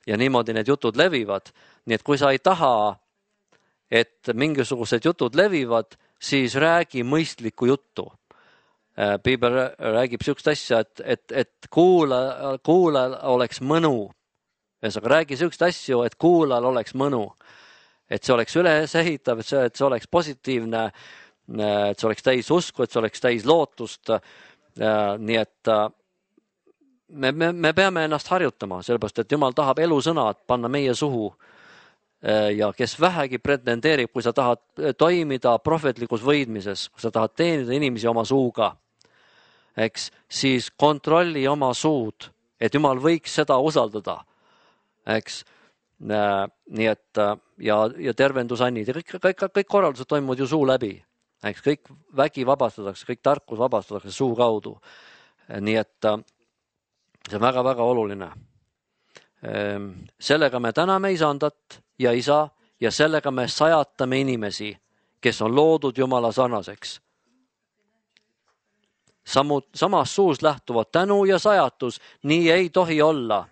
Ja niimoodi need jutud levivad. Nii et kui sa ei taha, et mingisugused jutud levivad, siis räägi mõistlikku juttu. Piibel räägib sihukest asja, et kuulajal oleks mõnu. Ühesõnaga, räägi sihukest asju, et kuulajal oleks mõnu. Et see oleks ülesehitav, et see oleks positiivne, et see oleks täis usku, et see oleks täis lootust. Nii et me peame ennast harjutama, sellepärast, et Jumal tahab elusõnad panna meie suhu. Ja kes vähegi pretendeerib, kui sa tahad toimida prohvetlikus võidmises, kui sa tahad teenida inimesi oma suuga, eks, siis kontrolli oma suud, et Jumal võiks seda usaldada, eks. Nii et ja tervendusannid ja kõik korraldused toimuvad ju suu läbi, eks, kõik vägi vabastatakse, kõik tarkus vabastatakse suu kaudu. Nii et see on väga-väga oluline. Sellega me täname isandat ja isa ja sellega me sajatame inimesi, kes on loodud Jumala sarnaseks. Samas suus lähtuvad tänu ja sajatus, nii ei tohi olla,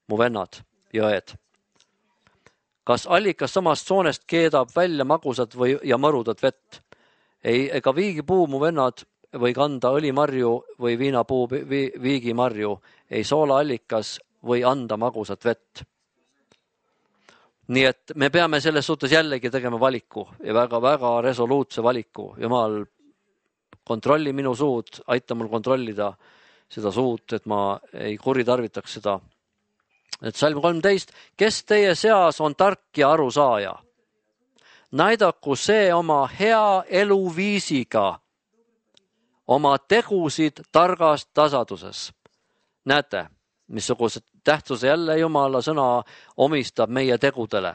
mu vennad ja õed. Kas allikas samast soonest keedab välja magusat ja mõrudat vett? Ega viigipuu, mu vennad, või kanda õlimarju või viinapuu viigimarju, ei soolaallikas või anda magusat vett. Nii et me peame selles suhtes jällegi tegema valiku ja väga-väga resoluutse valiku. Jumal, kontrolli minu suud, aita mul kontrollida seda suud, et ma ei kuritarvitaks seda. Et salm 13, kes teie seas on tark ja arusaaja? Näidaku see oma hea eluviisiga, oma tegusid targas tasaduses. Näete, missugused tähtsuse jälle Jumala sõna omistab meie tegudele.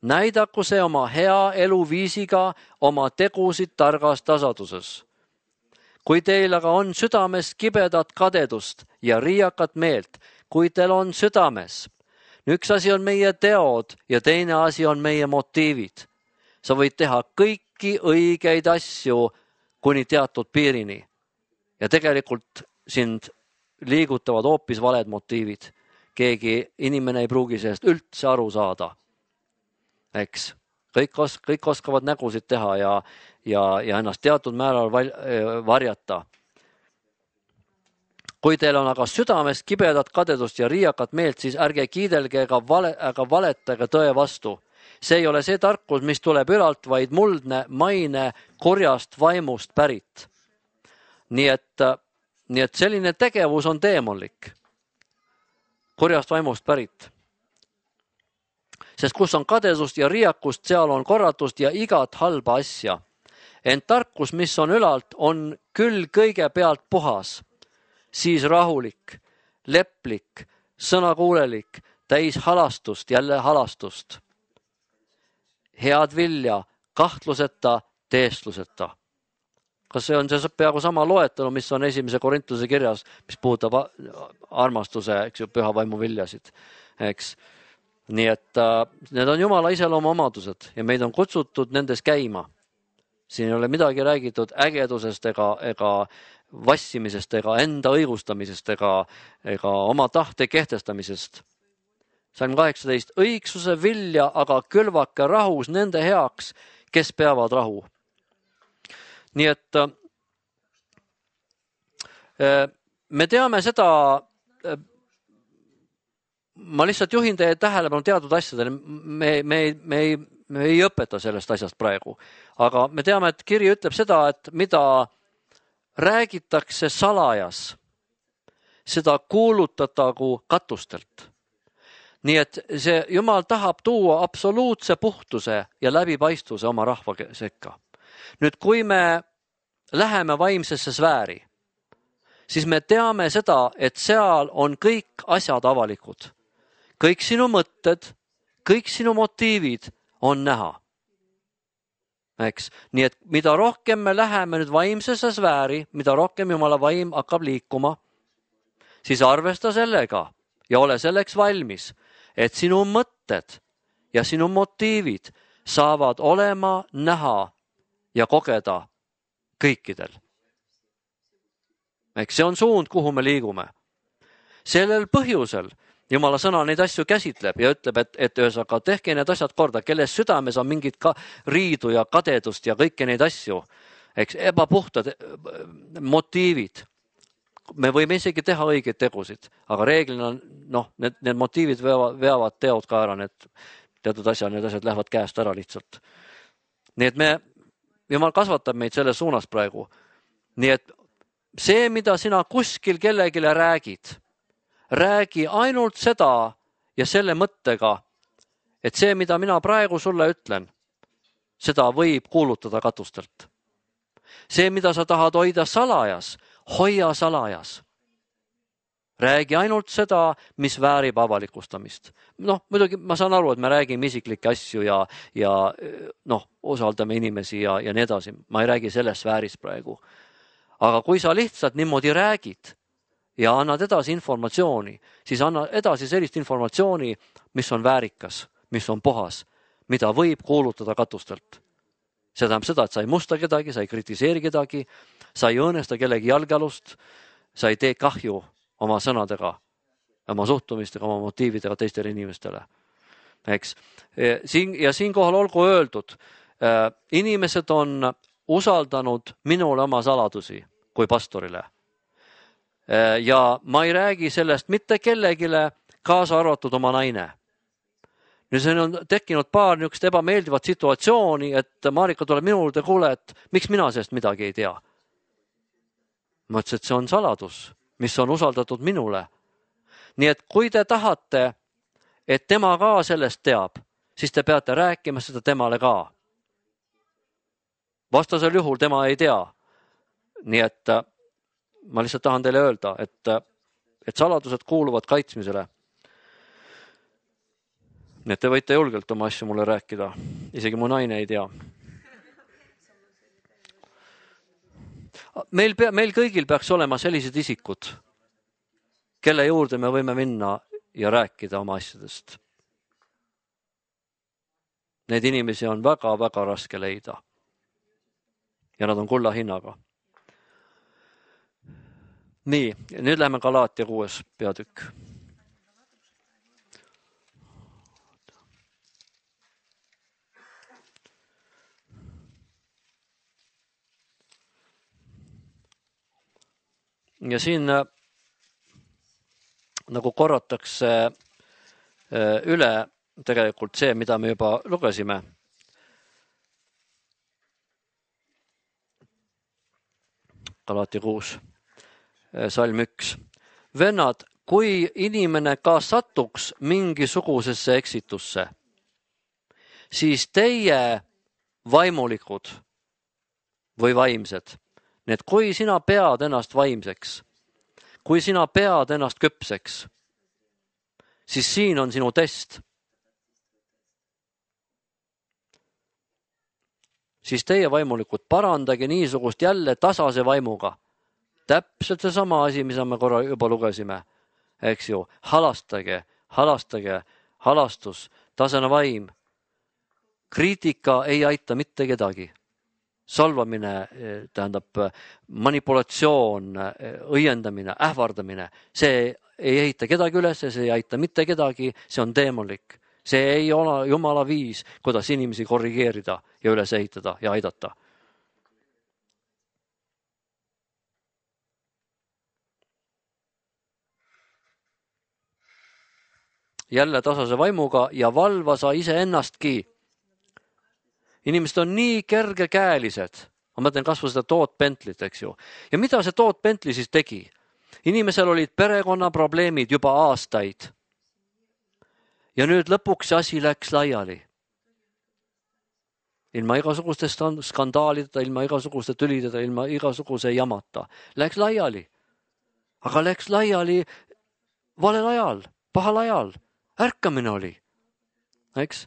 Näidaku see oma hea eluviisiga, oma tegusid targas tasaduses. Kui teil aga on südames kibedat kadedust ja riiakat meelt, kui teil on südames, üks asi on meie teod ja teine asi on meie motiivid. Sa võid teha kõiki õigeid asju kuni teatud piirini ja tegelikult sind liigutavad hoopis valed motiivid. Keegi inimene ei pruugi sellest üldse aru saada. Eks, kõik oskavad nägusid teha ja ennast teatud määral varjata. Kui teil on aga südames kibedat kadedust ja riiakat meelt, siis ärge kiidelge ega valetage tõe vastu. See ei ole see tarkus, mis tuleb ülalt, vaid muldne maine kurjast vaimust pärit. Nii et selline tegevus on teemonlik. Kurjast vaimust pärit. Sest kus on kadedust ja riiakust, seal on korratust ja igat halba asja. Ent tarkus, mis on ülalt, on küll kõigepealt puhas, siis rahulik, leplik, sõnakuulelik, täis halastust, jälle halastust. Head vilja, kahtluseta, teestluseta. Kas see on see peaaegu sama loetelu, mis on 1. Korintuse kirjas, mis puudutab armastuse, eks ju, püha vaimu viljasid, eks. Nii et need on Jumala iseloomu omadused ja meid on kutsutud nendes käima. Siin ei ole midagi räägitud ägedusest ega vassimisest ega enda õigustamisest ega oma tahte kehtestamisest. Salm 18, õigsuse vilja aga külvake rahus nende heaks, kes peavad rahu. Nii et me teame seda, ma lihtsalt juhin teie tähelepanu teatud asjadele, me ei õpeta sellest asjast praegu, aga me teame, et kiri ütleb seda, et mida räägitakse salajas, seda kuulutatagu katustelt. Nii et see Jumal tahab tuua absoluutse puhtuse ja läbipaistvuse oma rahva sekka. Nüüd, kui me läheme vaimsesse sfääri, siis me teame seda, et seal on kõik asjad avalikud. Kõik sinu mõtted, kõik sinu motiivid on näha. Eks? Nii et mida rohkem me läheme nüüd vaimsesse sfääri, mida rohkem Jumala vaim hakkab liikuma, siis arvesta sellega ja ole selleks valmis, et sinu mõtted ja sinu motiivid saavad olema näha ja kogeda kõikidel. Eks see on suund, kuhu me liigume. Sellel põhjusel Jumala sõna neid asju käsitleb ja ütleb, et ühesõnaga tehke need asjad korda, kelles südames on mingit riidu ja kadedust ja kõiki neid asju, eks, ebapuhtad motiivid. Me võime isegi teha õigeid tegusid, aga reeglina need motiivid veavad teod ka ära, need teatud need asjad lähevad käest ära lihtsalt. Nii et Jumal kasvatab meid selles suunas praegu. Nii et see, mida sina kuskil kellegile räägid, räägi ainult seda ja selle mõttega, et see, mida mina praegu sulle ütlen, seda võib kuulutada katustelt. See, mida sa tahad hoida salajas, hoia salajas. Räägi ainult seda, mis väärib avalikustamist. Muidugi ma saan aru, et me räägime isiklikke asju ja usaldame inimesi ja nii edasi. Ma ei räägi selles sfääris praegu. Aga kui sa lihtsalt niimoodi räägid ja annad edasi informatsiooni, siis anna edasi sellist informatsiooni, mis on väärikas, mis on puhas, mida võib kuulutada katustelt. See tähendab seda, et sa ei musta kedagi, sa ei kritiseeri kedagi, sa ei õõnesta kellegi jalgealust, sa ei tee kahju oma sõnadega, oma suhtumistega, oma motiividega teistele inimestele. Eks? Ja siinkohal olgu öeldud, inimesed on usaldanud minule oma saladusi kui pastorile. Ja ma ei räägi sellest mitte kellegile, kaasa arvatud oma naine. Nüüd siin on tekkinud paar niisugust ebameeldivat situatsiooni, et Marika tuleb minule, kuule, et miks mina sellest midagi ei tea. Ma ütlesin, et see on saladus, mis on usaldatud minule. Nii et kui te tahate, et tema ka sellest teab, siis te peate rääkima seda temale ka. Vastasel juhul tema ei tea. Nii et ma lihtsalt tahan teile öelda, et saladused kuuluvad kaitsmisele. Nii et te võite julgelt oma asju mulle rääkida. Isegi mu naine ei tea. Meil kõigil peaks olema sellised isikud, kelle juurde me võime minna ja rääkida oma asjadest. Neid inimesi on väga-väga raske leida. Ja nad on kulla hinnaga. Nii, nüüd läheme Galaatia 6. peatükk. Ja siin nagu korratakse üle tegelikult see, mida me juba lugesime. Galaatia 6, salm 1. Vennad, kui inimene ka satuks mingisugusesse eksitusse, siis teie vaimulikud või vaimsed, need kui sina pead ennast vaimseks, kui sina pead ennast küpseks, siis siin on sinu test. Siis teie vaimulikud parandage niisugust jälle tasase vaimuga. Täpselt see sama asi, mida me korra juba lugesime. Eks ju, halastage, halastus, tasane vaim. Kriitika ei aita mitte kedagi. Salvamine tähendab manipulatsioon, õiendamine, ähvardamine. See ei ehita kedagi üles, see ei aita mitte kedagi, see on teemonlik. See ei ole Jumala viis, kuidas inimesi korrigeerida ja üles ehitada ja aidata. Jälle tasase vaimuga ja valva sa iseennastki. Inimesed on nii kergekäelised. Ma mõtlen kasvu seda Toot Bentlit, eks ju. Ja mida see Toot Bentley siis tegi? Inimesel olid perekonnaprobleemid juba aastaid. Ja nüüd lõpuks see asi läks laiali. Ilma igasuguste skandaalideta, ilma igasuguste tülideta, ilma igasuguse jamata. Läks laiali. Aga läks laiali valel ajal, pahal ajal. Ärkamine oli. eks?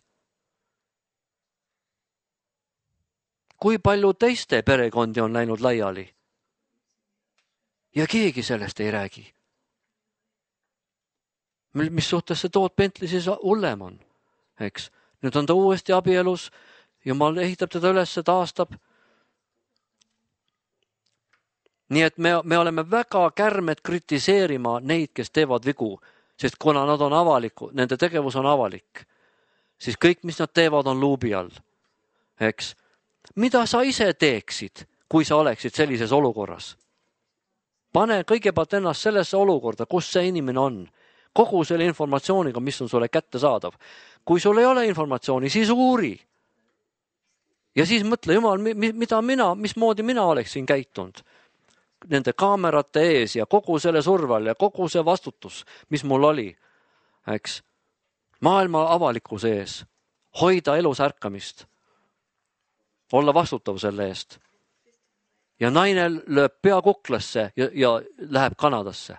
Kui palju teiste perekondi on läinud laiali? Ja keegi sellest ei räägi. Mis suhtes see Toot Bentley siis hullem on, eks? Nüüd on ta uuesti abielus, Jumal ehitab teda üles, taastab. Nii et me oleme väga kärmed kritiseerima neid, kes teevad vigu, sest kuna nad on avalikud, nende tegevus on avalik, siis kõik, mis nad teevad, on luubi all, eks? Mida sa ise teeksid, kui sa oleksid sellises olukorras? Pane kõigepealt ennast sellesse olukorda, kus see inimene on. Kogu selle informatsiooniga, mis on sulle kätte saadav. Kui sul ei ole informatsiooni, siis uuri. Ja siis mõtle, Jumal, mismoodi mina oleksin käitunud nende kaamerate ees ja kogu selle surval ja kogu see vastutus, mis mul oli, eks? Maailma avalikkuse ees, hoida elus ärkamist, olla vastutav selle eest. Ja naine lööb pea kuklasse ja läheb Kanadasse.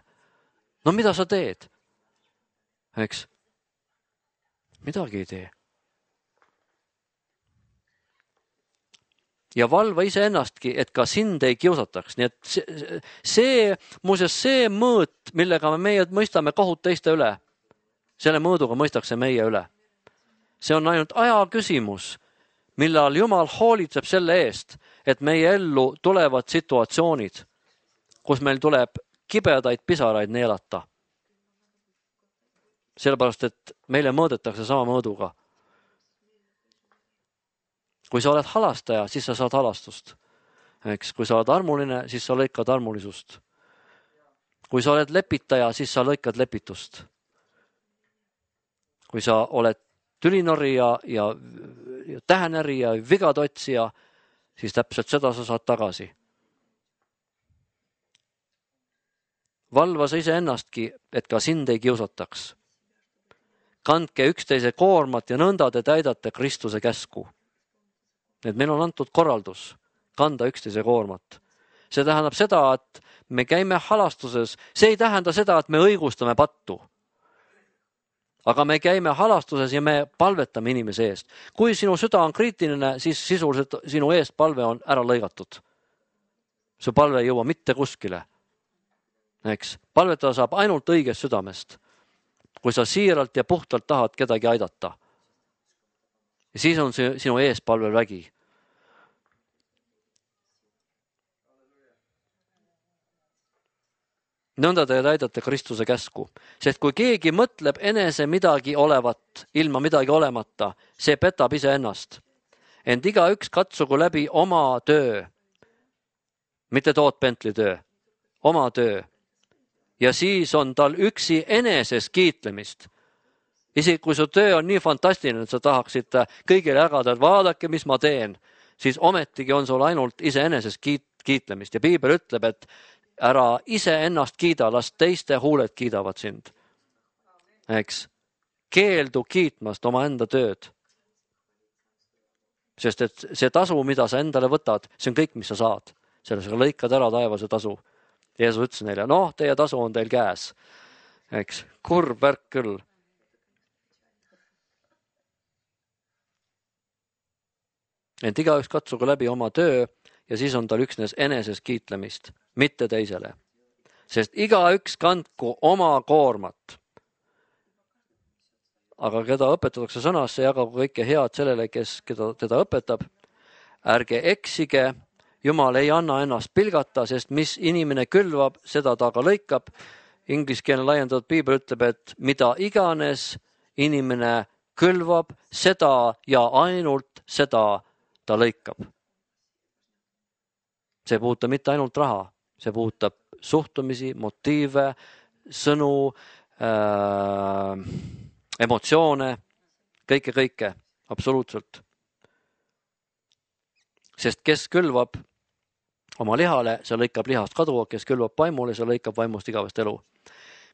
No mida sa teed? Eks? Midagi ei tee. Ja valva iseennastki, et ka sind ei kiusataks. Nii et see mõõt, millega meie mõistame kohut teiste üle, selle mõõduga mõistakse meie üle. See on ainult aja küsimus, millal Jumal hoolitseb selle eest, et meie ellu tulevad situatsioonid, kus meil tuleb kibedaid pisaraid neelata. Sellepärast, et meile mõõdetakse sama mõõduga. Kui sa oled halastaja, siis sa saad halastust. Eks? Kui sa oled armuline, siis sa lõikad armulisust. Kui sa oled lepitaja, siis sa lõikad lepitust. Kui sa oled tülinorija ja tähenäri ja vigad otsija, siis täpselt seda sa saad tagasi. Valva sa iseennastki, et ka sind ei kiusataks. Kandke üksteise koormat ja nõnda te täidate Kristuse käsku. Et meil on antud korraldus kanda üksteise koormat. See tähendab seda, et me käime halastuses. See ei tähenda seda, et me õigustame pattu. Aga me käime halastuses ja me palvetame inimese eest. Kui sinu süda on kriitiline, siis sisuliselt sinu eest palve on ära lõigatud. See palve ei jõua mitte kuskile. Eks? Palvetada saab ainult õigest südamest. Kui sa siiralt ja puhtalt tahad kedagi aidata. Ja siis on sinu eespalvel vägi. Nõnda te täidate Kristuse käsku. Sest kui keegi mõtleb enese midagi olevat, ilma midagi olemata, see petab ise ennast. Ent igaüks katsugu läbi oma töö. Mitte Toot Bentley töö. Oma töö. Ja siis on tal üksi eneses kiitlemist. Isegi kui su töö on nii fantastiline, et sa tahaksid kõigile jagada, et vaadake, mis ma teen, siis ometigi on sul ainult iseeneses kiitlemist. Ja Piibel ütleb, et ära ise ennast kiida, las teiste huuled kiidavad sind. Eks? Keeldu kiitmast oma enda tööd. Sest et see tasu, mida sa endale võtad, see on kõik, mis sa saad. Selles lõikad ära taevase tasu. Jeesus ütles neile, teie tasu on teil käes. Eks? Kurb värk küll. Ent igaüks katsugu läbi oma töö ja siis on tal üksnes eneses kiitlemist, mitte teisele. Sest igaüks kandku oma koormat. Aga keda õpetatakse sõnasse, jagagu kõike head sellele, kes teda õpetab. Ärge eksige, Jumal ei anna ennast pilgata, sest mis inimene külvab, seda ta ka lõikab. Ingliskeelne laiendatud Piibel ütleb, et mida iganes inimene külvab, seda ja ainult seda ta lõikab. See puudutab mitte ainult raha, see puudutab suhtumisi, motiive, sõnu, emotsioone, kõike, absoluutselt. Sest kes külvab oma lihale, see lõikab lihast kadu, kes külvab vaimule, see lõikab vaimust igavest elu.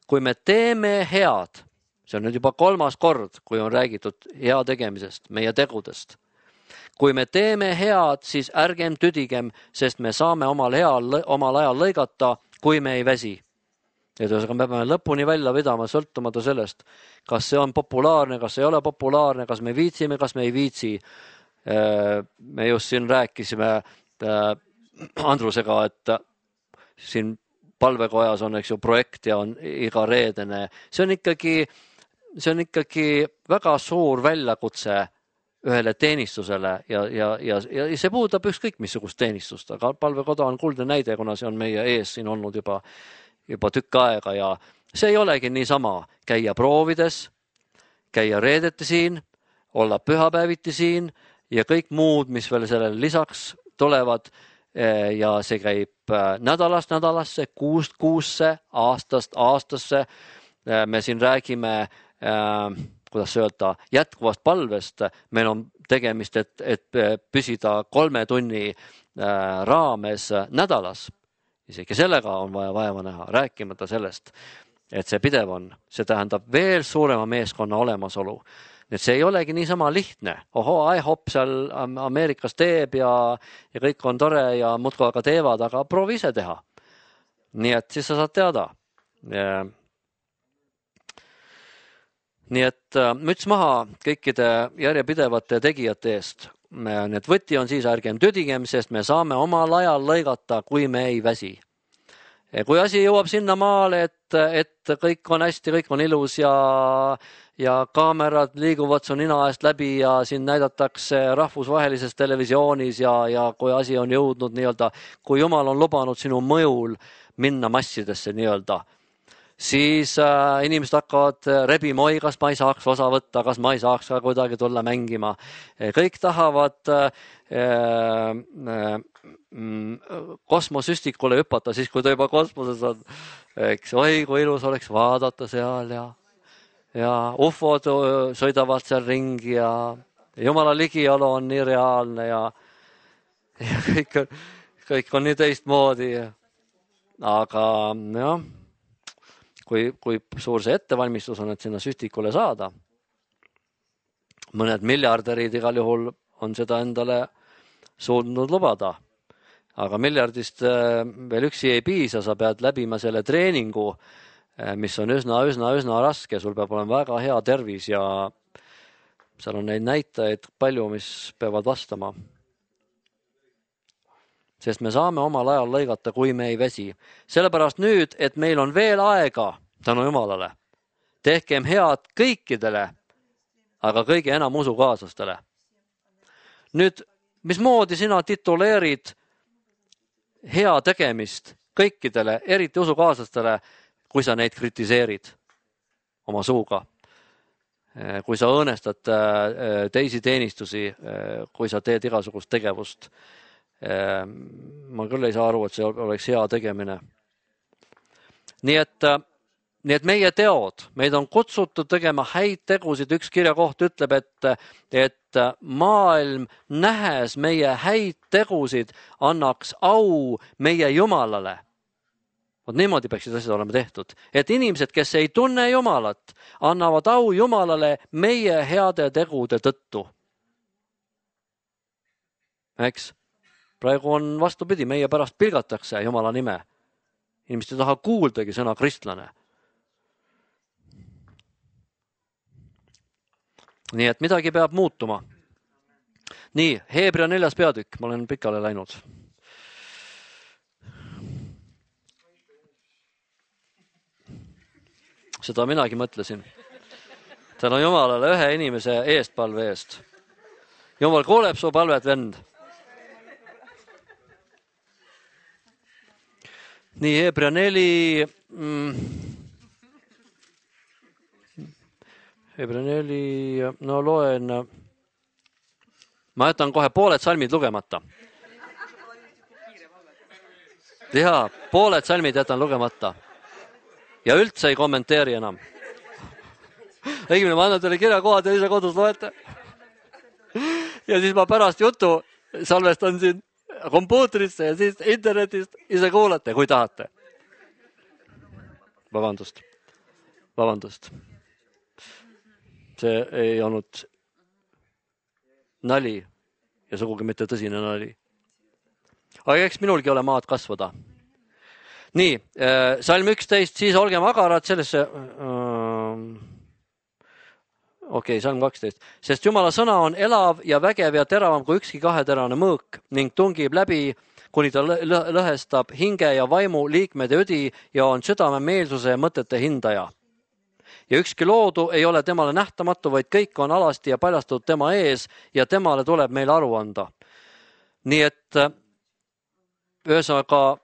Kui me teeme head, see on nüüd juba 3. kord, kui on räägitud hea tegemisest, meie tegudest. Kui me teeme head, siis ärgem tüdigem, sest me saame omal ajal lõigata, kui me ei väsi. Ja tõusega me peame lõpuni välja vedama sõltumata sellest, kas see on populaarne, kas ei ole populaarne, kas me viitsime, kas me ei viitsi. Me just siin rääkisime Andrusega, et siin palvekojas on, eks ju, projekt ja on iga reedene. See on ikkagi väga suur väljakutse ühele teenistusele ja see puudutab ükskõik missugust teenistust, aga palvekoda on kuldne näide, kuna see on meie ees siin olnud juba tükk aega ja see ei olegi niisama käia proovides, käia reedeti siin, olla pühapäeviti siin ja kõik muud, mis veel sellele lisaks tulevad ja see käib nädalast nädalasse, kuust kuusse, aastast aastasse. Me siin räägime, kuidas öelda, jätkuvast palvest. Meil on tegemist, et püsida 3 tunni raames nädalas. Isegi sellega on vaja vaeva näha, rääkimata sellest, et see pidev on. See tähendab veel suurema meeskonna olemasolu. Nii et see ei olegi niisama lihtne. IHOP seal Ameerikas teeb ja kõik on tore ja muudkui aga teevad, aga proovi ise teha. Nii et siis sa saad teada. Nii et müts maha kõikide järjepidevate tegijate eest. Nii et võti on siis ärgem tüdigem, sest me saame omal ajal lõigata, kui me ei väsi. Kui asi jõuab sinna maale, et kõik on hästi, kõik on ilus ja kaamerad liiguvad su nina eest läbi ja siin näidatakse rahvusvahelises televisioonis ja kui asi on jõudnud nii-öelda, kui Jumal on lubanud sinu mõjul minna massidesse nii-öelda, siis inimesed hakkavad rebima, oi, kas ma ei saaks osa võtta, kas ma ei saaks ka kuidagi tulla mängima. Kõik tahavad kosmosüstikule hüpata, siis kui ta juba kosmoses on. Eks, oi, kui ilus oleks vaadata seal ja ufod sõidavad seal ringi ja Jumala ligiolu on nii reaalne ja kõik on nii teistmoodi. Aga jah, kui suur see ettevalmistus on, et sinna süstikule saada. Mõned miljardärid igal juhul on seda endale suutnud lubada. Aga miljardist veel üksi ei piisa, sa pead läbima selle treeningu, mis on üsna raske. Sul peab olema väga hea tervis ja seal on neid näitajaid palju, mis peavad vastama. Sest me saame omal ajal lõigata, kui me ei väsi. Sellepärast nüüd, et meil on veel aega, tänu Jumalale, tehkem head kõikidele, aga kõige enam usukaaslastele. Nüüd, mismoodi sina tituleerid hea tegemist kõikidele, eriti usukaaslastele, kui sa neid kritiseerid oma suuga, kui sa õõnestad teisi teenistusi, kui sa teed igasugust tegevust. Ma küll ei saa aru, et see oleks hea tegemine. Nii et meie teod, meid on kutsutud tegema häid tegusid. Üks kirjakoht ütleb, et maailm nähes meie häid tegusid annaks au meie Jumalale. Vot niimoodi peaksid asjad olema tehtud. Et inimesed, kes ei tunne Jumalat, annavad au Jumalale meie heade tegude tõttu. Eks? Praegu on vastupidi, meie pärast pilgatakse Jumala nime. Inimesed ei taha kuuldagi sõna kristlane. Nii et midagi peab muutuma. Nii, Heebrea 4. peatükk, ma olen pikale läinud. Seda minagi mõtlesin. Tänu Jumalale ühe inimese eestpalve eest. Jumal kuuleb su palvet, vend. Nii, Heebrea 4. Heebrea 4, no loen. Ma jätan kohe pooled salmid lugemata. Jaa, pooled salmid jätan lugemata. Ja üldse ei kommenteeri enam. Õigemini ma annan teile kirjakohad ja ise kodus loete. Ja siis ma pärast jutu salvestan siin kompuutrisse ja siis internetist ise kuulate, kui tahate. Vabandust. See ei olnud nali ja sugugi mitte tõsine nali. Aga eks minulgi ole maad kasvada. Nii, salm 11, siis olgem agarad sellesse, salm 12, sest Jumala sõna on elav ja vägev ja teravam kui ükski kaheterane mõõk ning tungib läbi, kuni ta lõhestab hinge ja vaimu, liikmed ja õdi ja on südame meelsuse ja mõtete hindaja. Ja ükski loodu ei ole temale nähtamatu, vaid kõik on alasti ja paljastatud tema ees ja temale tuleb meile aru anda. Nii et ühesõnaga,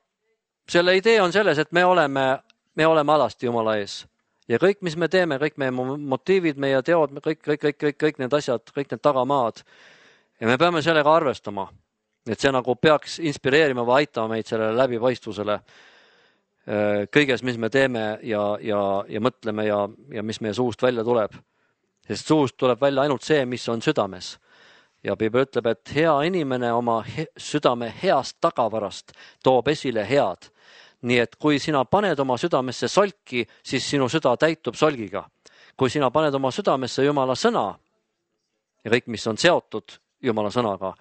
selle idee on selles, et me oleme alasti Jumala ees ja kõik, mis me teeme, kõik meie motiivid, meie teod, kõik need asjad, kõik need tagamaad ja me peame sellega arvestama, et see nagu peaks inspireerima või aitama meid sellele läbipaistvusele kõiges, mis me teeme ja mõtleme ja mis meie suust välja tuleb, sest suust tuleb välja ainult see, mis on südames. Ja Piibel ütleb, et hea inimene oma südame heast tagavarast toob esile head. Nii et kui sina paned oma südamesse solki, siis sinu süda täitub solgiga. Kui sina paned oma südamesse Jumala sõna ja kõik, mis on seotud Jumala sõnaga,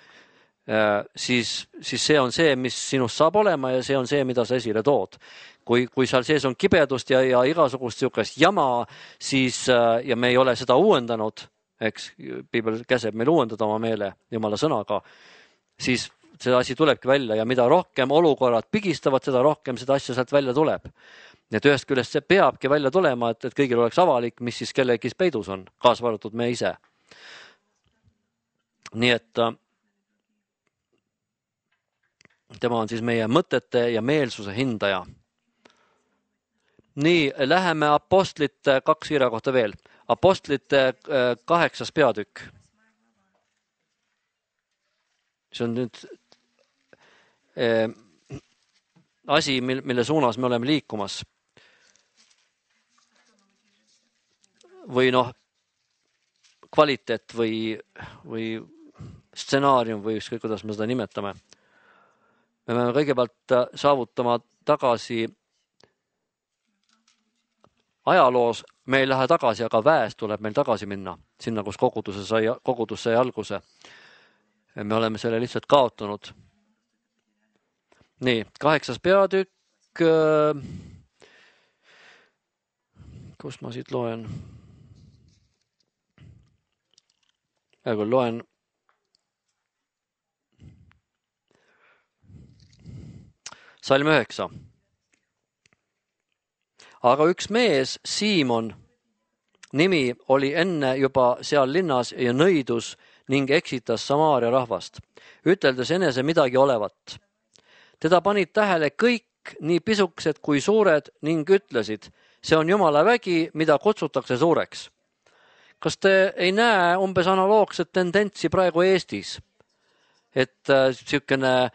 siis see on see, mis sinust saab olema ja see on see, mida sa esile tood. Kui seal sees on kibedust ja igasugust sihukest jama, siis, ja me ei ole seda uuendanud, eks Piibel käseb meil uuendada oma meele Jumala sõnaga, siis see asi tulebki välja ja mida rohkem olukorrad pigistavad, seda rohkem seda asja sealt välja tuleb. Et ühest küljest see peabki välja tulema, et kõigil oleks avalik, mis siis kellegi peidus on, kaasvaratud me ise. Nii et tema on siis meie mõtete ja meelsuse hindaja. Nii, läheme apostlite 2 kirja kohta veel. Apostlite 8. peatükk. See on nüüd asi, mille suunas me oleme liikumas. Või kvaliteet või stsenaarium või ükskõik, kuidas me seda nimetame. Me peame kõigepealt saavutama tagasi ajaloos, me ei lähe tagasi, aga väes tuleb meil tagasi minna, sinna, kus kogudus sai alguse. Me oleme selle lihtsalt kaotanud. Nii, 8. peatükk, kus ma siit loen? Kui loen salm 9. Aga üks mees, Siimon, nimi oli enne juba seal linnas ja nõidus ning eksitas Samaaria rahvast, üteldes enese midagi olevat. Teda panid tähele kõik, nii pisukesed kui suured, ning ütlesid, see on Jumala vägi, mida kutsutakse suureks. Kas te ei näe umbes analoogset tendentsi praegu Eestis? Et sihukene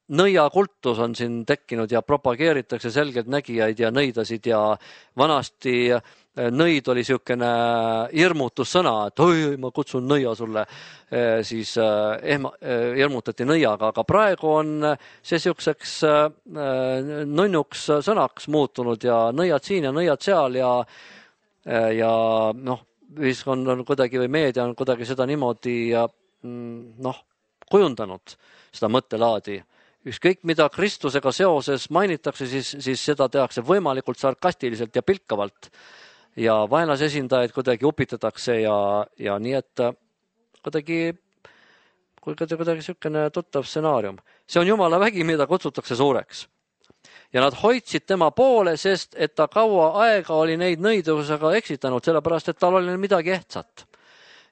nõiakultus on siin tekkinud ja propageeritakse selgelt nägijaid ja nõidasid ja vanasti nõid oli sihukene hirmutussõna, et oi, ma kutsun nõia sulle, siis hirmutati nõiaga, aga praegu on see sihukeseks nunnuks sõnaks muutunud ja nõiad siin ja nõiad seal ja ühiskond on kuidagi või meedia on kuidagi seda niimoodi kujundanud seda mõttelaadi. Ükskõik, mida Kristusega seoses mainitakse, siis seda tehakse võimalikult sarkastiliselt ja pilkavalt ja vaenlase esindajaid kuidagi upitatakse ja nii, et kuidagi sihukene tuttav stsenaarium. See on Jumala vägi, mida kutsutakse suureks. Ja nad hoidsid tema poole, sest et ta kaua aega oli neid nõidusega eksitanud, sellepärast, et tal oli midagi ehtsat.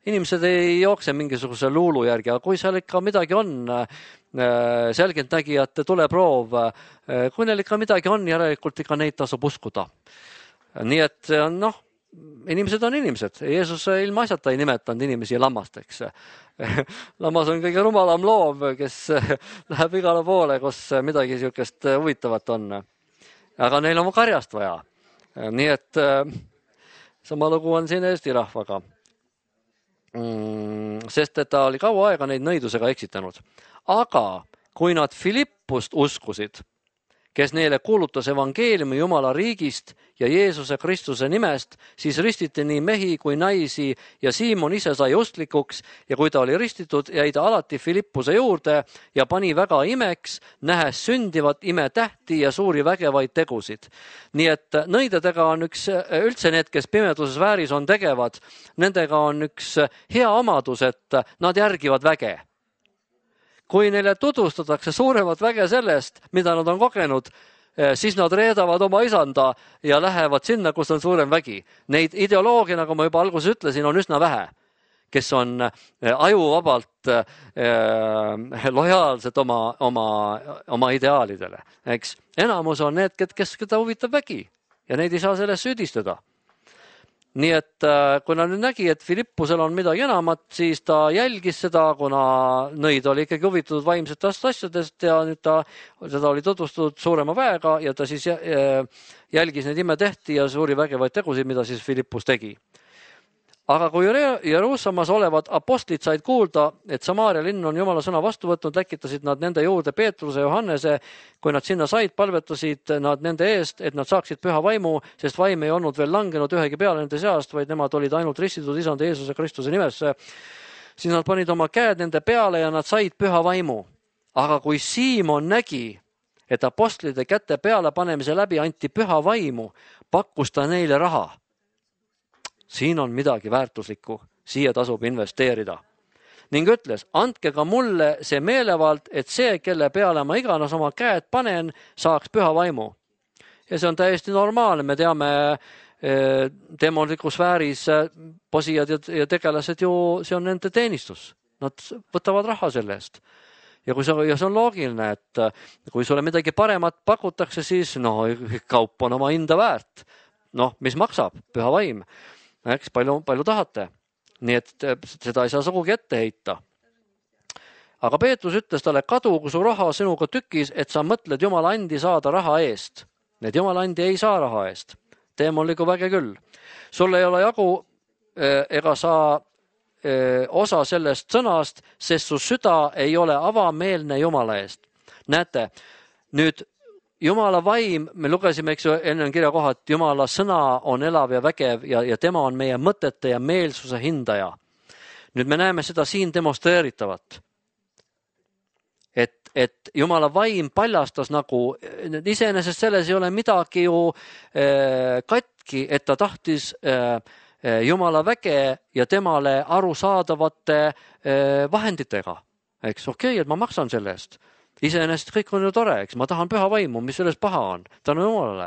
Inimesed ei jookse mingisuguse luulu järgi, aga kui seal ikka midagi on, selgeltnägijate tuleproov, kui neil ikka midagi on, järelikult ikka neid tasub uskuda. Nii et inimesed on inimesed. Jeesus ilma asjata ei nimetanud inimesi lammasteks. Lammas on kõige rumalam loom, kes läheb igale poole, kus midagi sihukest huvitavat on. Aga neil on karjast vaja. Nii et sama lugu on siin Eesti rahvaga. Sest et ta oli kaua aega neid nõidusega eksitanud. Aga kui nad Filippust uskusid, kes neile kuulutas evangeeliumi Jumala riigist ja Jeesuse Kristuse nimest, siis ristiti nii mehi kui naisi ja Siimon ise sai usklikuks ja kui ta oli ristitud, jäi ta alati Filippuse juurde ja pani väga imeks, nähes sündivat imetähti ja suuri vägevaid tegusid. Nii et nõidadega on üldse need, kes pimeduses vääris on tegevad, nendega on üks hea omadus, et nad järgivad väge. Kui neile tutvustatakse suuremat väge sellest, mida nad on kogenud, siis nad reedavad oma isanda ja lähevad sinna, kus on suurem vägi. Neid ideoloogia, nagu ma juba alguses ütlesin, on üsna vähe, kes on ajuvabalt lojaalsed oma ideaalidele. Eks? Enamus on need, kes keda huvitab vägi ja neid ei saa sellest süüdistada. Nii et kui ta nüüd nägi, et Filippusel on midagi enamat, siis ta jälgis seda, kuna nõid oli ikkagi huvitatud vaimsetest asjadest ja nüüd seda oli tutvustatud suurema väega ja ta siis jälgis neid imetehti ja suuri vägevaid tegusid, mida siis Filippus tegi. Aga kui Jeruusalemmas olevad apostlid said kuulda, et Samaaria linn on Jumala sõna vastu võtnud, läkitasid nad nende juurde Peetruse ja Johannese. Kui nad sinna said, palvetasid nad nende eest, et nad saaksid püha vaimu, sest vaim ei olnud veel langenud ühegi peale nende seast, vaid nemad olid ainult ristitud isanda Jeesuse Kristuse nimesse. Siis nad panid oma käed nende peale ja nad said püha vaimu. Aga kui Siimon nägi, et apostlide käte peale panemise läbi anti püha vaimu, pakkus ta neile raha. Siin on midagi väärtuslikku, siia tasub investeerida. Ning ütles, andke ka mulle see meelevald, et see, kelle peale ma iganes oma käed panen, saaks püha vaimu. Ja see on täiesti normaalne, me teame demonliku sfääris posijad ja tegelased ju, see on nende teenistus. Nad võtavad raha selle eest. Ja see on loogiline, et kui sulle midagi paremat pakutakse, siis kaup on oma hinda väärt. Mis maksab? Püha vaim. Eks palju tahate. Nii et seda ei saa sugugi ette heita. Aga Peetrus ütles talle, kadugu su raha sinuga tükis, et sa mõtled Jumala andi saada raha eest. Need Jumala andi ei saa raha eest. Demonliku väge küll. Sul ei ole jagu ega saa osa sellest sõnast, sest su süda ei ole avameelne Jumala eest. Näete, nüüd Jumala vaim, me lugesime, eks ju, enne kirja koha, et Jumala sõna on elav ja vägev ja tema on meie mõtete ja meelsuse hindaja. Nüüd me näeme seda siin demonstreeritavat. Et Jumala vaim paljastas nagu, iseenesest selles ei ole midagi ju katki, et ta tahtis Jumala väge ja temale arusaadavate vahenditega. Eks okei, et ma maksan selle eest. Iseenesest kõik on ju tore, eks ma tahan püha vaimu, mis selles paha on, tänu Jumalale.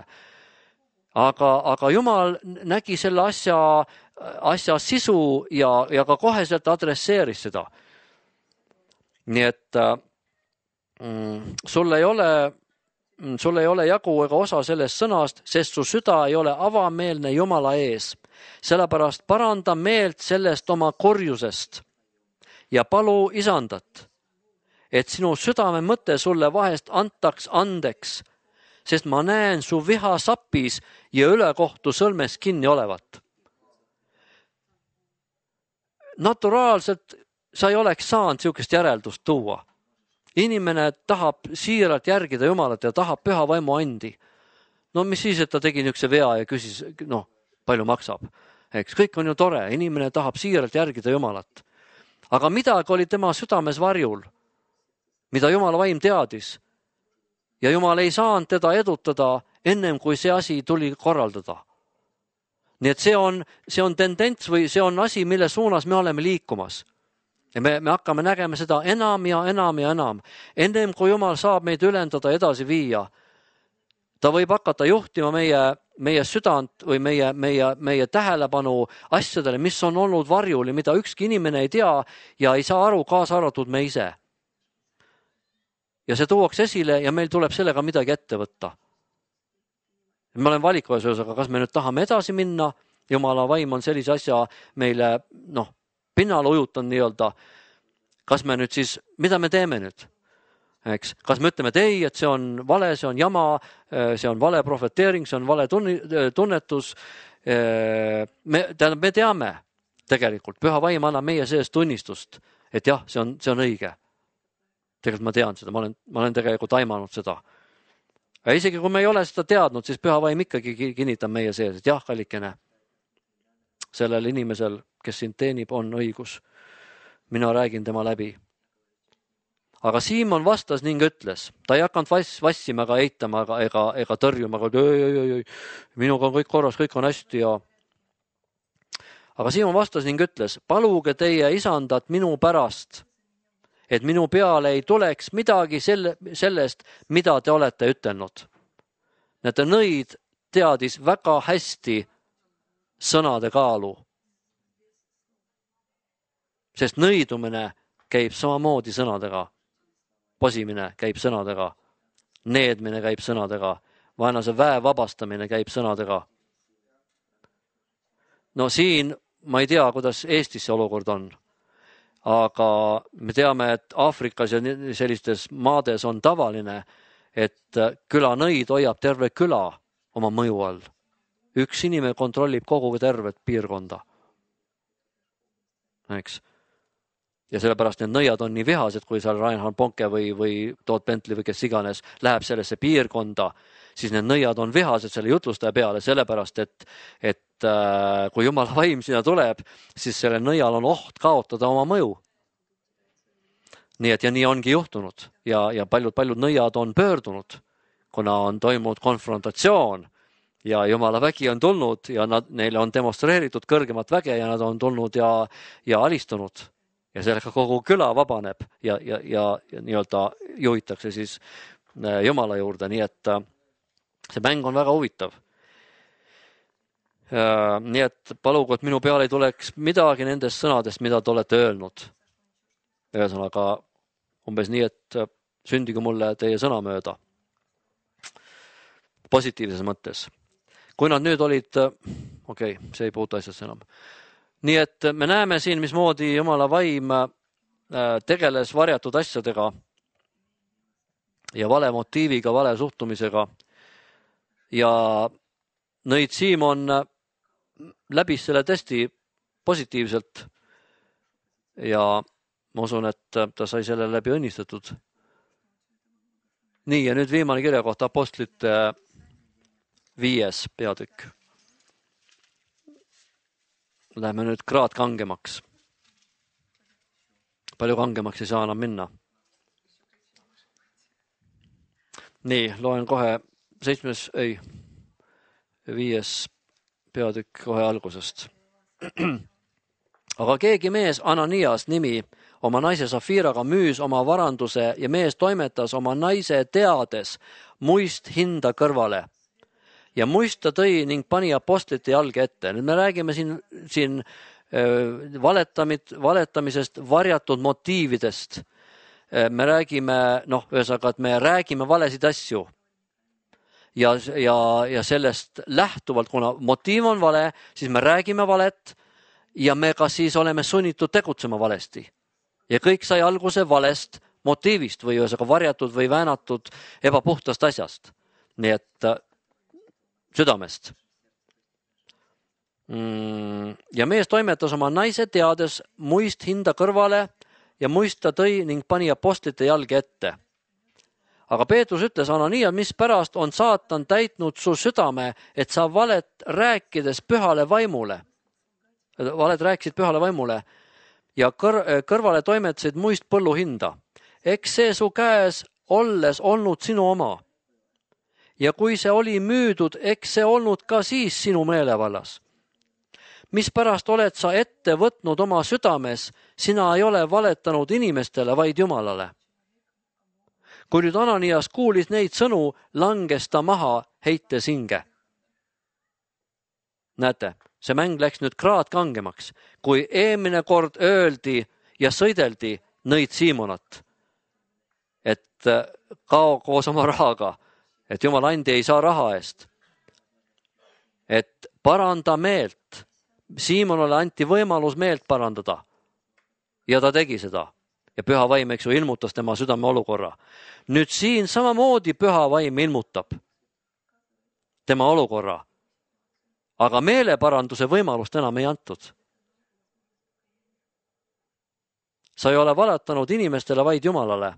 Aga Jumal nägi selle asja sisu ja ka koheselt adresseeris seda. Nii et sul ei ole jagu ega osa sellest sõnast, sest su süda ei ole avameelne Jumala ees. Sellepärast paranda meelt sellest oma korjusest ja palu isandat, et sinu südame mõte sulle vahest antaks andeks, sest ma näen su viha sapis ja ülekohtu sõlmes kinni olevat. Naturaalselt sa ei oleks saanud niisugust järeldust tuua. Inimene tahab siiralt järgida Jumalat ja tahab püha vaimu andi. Mis siis, et ta tegi niisuguse vea ja küsis, palju maksab. Eks kõik on ju tore, inimene tahab siiralt järgida Jumalat. Aga midagi oli tema südames varjul, mida Jumala vaim teadis. Ja Jumal ei saanud teda edutada ennem, kui see asi tuli korraldada. Nii et see on tendents või see on asi, mille suunas me oleme liikumas. Ja me hakkame nägema seda enam ja enam ja enam. Ennem kui Jumal saab meid ülendada edasi viia, ta võib hakata juhtima meie südant või meie tähelepanu asjadele, mis on olnud varjul ja mida ükski inimene ei tea ja ei saa aru, kaasa arvatud me ise. Ja see tuuakse esile ja meil tuleb sellega midagi ette võtta. Me oleme valikuvas, aga kas me nüüd tahame edasi minna, Jumala vaim on sellise asja meile pinnale ujutanud nii-öelda. Kas me nüüd siis, mida me teeme nüüd? Eks? Kas me ütleme, et ei, et see on vale, see on jama, see on vale profeteering, see on vale tunnetus. Me teame tegelikult, püha vaim annab meie sees tunnistust, et jah, see on õige. Tegelikult ma tean seda, ma olen tegelikult aimanud seda. Ja isegi kui me ei ole seda teadnud, siis püha vaim ikkagi kinnitab meie sees, et jah, kallikene, sellel inimesel, kes sind teenib, on õigus. Mina räägin tema läbi. Aga Siimon vastas ning ütles, ta ei hakanud vassima ega eitama ega tõrjuma, aga minuga on kõik korras, kõik on hästi. Aga Siimon vastas ning ütles, paluge teie isandat minu pärast, et minu peale ei tuleks midagi sellest, mida te olete ütelnud. Näete, nõid teadis väga hästi sõnade kaalu. Sest nõidumine käib samamoodi sõnadega. Posimine käib sõnadega. Needmine käib sõnadega. Vaenlase väe vabastamine käib sõnadega. No siin ma ei tea, kuidas Eestis see olukord on. Aga me teame, et Aafrikas ja sellistes maades on tavaline, et külanõid hoiab terve küla oma mõju all. Üks inimene kontrollib kogu tervet piirkonda. Eks? Ja sellepärast need nõiad on nii vihased, kui seal Reinhard Bonke või Todd Bentley või kes iganes läheb sellesse piirkonda, siis need nõiad on vihased selle jutlustaja peale, sellepärast, et kui Jumala vaim sinna tuleb, siis selle nõial on oht kaotada oma mõju. Nii et ja nii ongi juhtunud ja paljud nõiad on pöördunud, kuna on toimunud konfrontatsioon ja Jumala vägi on tulnud ja neile on demonstreeritud kõrgemat väge ja nad on tulnud ja alistunud. Ja sellega kogu küla vabaneb ja nii-öelda juhitakse siis Jumala juurde, nii et see mäng on väga huvitav. Nii et palugu, et minu peale ei tuleks midagi nendest sõnadest, mida te olete öelnud. Ühesõnaga umbes nii, et sündigu mulle teie sõna mööda. Positiivses mõttes. Kui nad nüüd olid, see ei puutu asjasse enam. Nii et me näeme siin, mismoodi Jumala vaim tegeles varjatud asjadega ja vale motiiviga, vale suhtumisega. Ja nõid Siimon läbis selle testi positiivselt ja ma usun, et ta sai selle läbi õnnistatud. Nii, ja nüüd viimane kirja kohta apostlite 5. peatükk. Läheme nüüd kraad kangemaks. Palju kangemaks ei saa enam minna. Nii, loen kohe 5. peatükk kohe algusest. Aga keegi mees Ananias nimi oma naise Safiraga müüs oma varanduse ja mees toimetas oma naise teades muist hinda kõrvale. Ja muist ta tõi ning pani apostlite jalge ette. Nüüd me räägime siin valetamisest, varjatud motiividest. Me räägime, ühesõnaga, et me räägime valesid asju. Ja sellest lähtuvalt, kuna motiiv on vale, siis me räägime valet ja me ka siis oleme sunnitud tegutsema valesti. Ja kõik sai alguse valest motiivist või ühesõnaga varjatud või väänatud ebapuhtast asjast. Nii et südamest. Ja mees toimetas oma naise teades muist hinda kõrvale ja muist ta tõi ning pani apostlite jalge ette. Aga Peetrus ütles Ananias, mis pärast on saatan täitnud su südame, et sa valet rääkides pühale vaimule. Valet rääkisid pühale vaimule ja kõrvale toimetasid muist põllu hinda. Eks see su käes olles olnud sinu oma. Ja kui see oli müüdud, eks see olnud ka siis sinu meelevallas. Mispärast oled sa ette võtnud oma südames, sina ei ole valetanud inimestele, vaid Jumalale. Kui nüüd Ananias kuulis neid sõnu, langes ta maha heites hinge. Näete, see mäng läks nüüd kraad kangemaks, kui eelmine kord öeldi ja sõideldi nõid Siimonat, et kao koos oma rahaga, et Jumala andi ei saa raha eest. Et paranda meelt. Siimonale anti võimalus meelt parandada. Ja ta tegi seda. Ja püha vaim, eks ju, ilmutas tema südame olukorra. Nüüd siin samamoodi püha vaim ilmutab tema olukorra. Aga meeleparanduse võimalust enam ei antud. Sa ei ole valetanud inimestele, vaid Jumalale.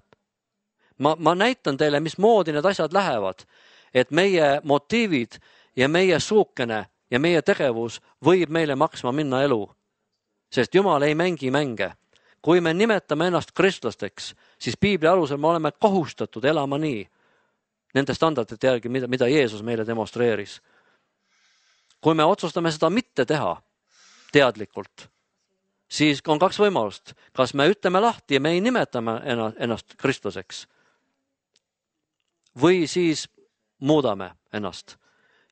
Ma näitan teile, mismoodi need asjad lähevad. et meie motiivid ja meie suukene ja meie tegevus võib meile maksma minna elu. Sest Jumal ei mängi mänge. Kui me nimetame ennast kristlasteks, siis Piibli alusel me oleme kohustatud elama nii, nende standardite järgi, mida Jeesus meile demonstreeris. Kui me otsustame seda mitte teha teadlikult, siis on kaks võimalust. Kas me ütleme lahti ja me ei nimetame ennast kristlaseks või siis muudame ennast.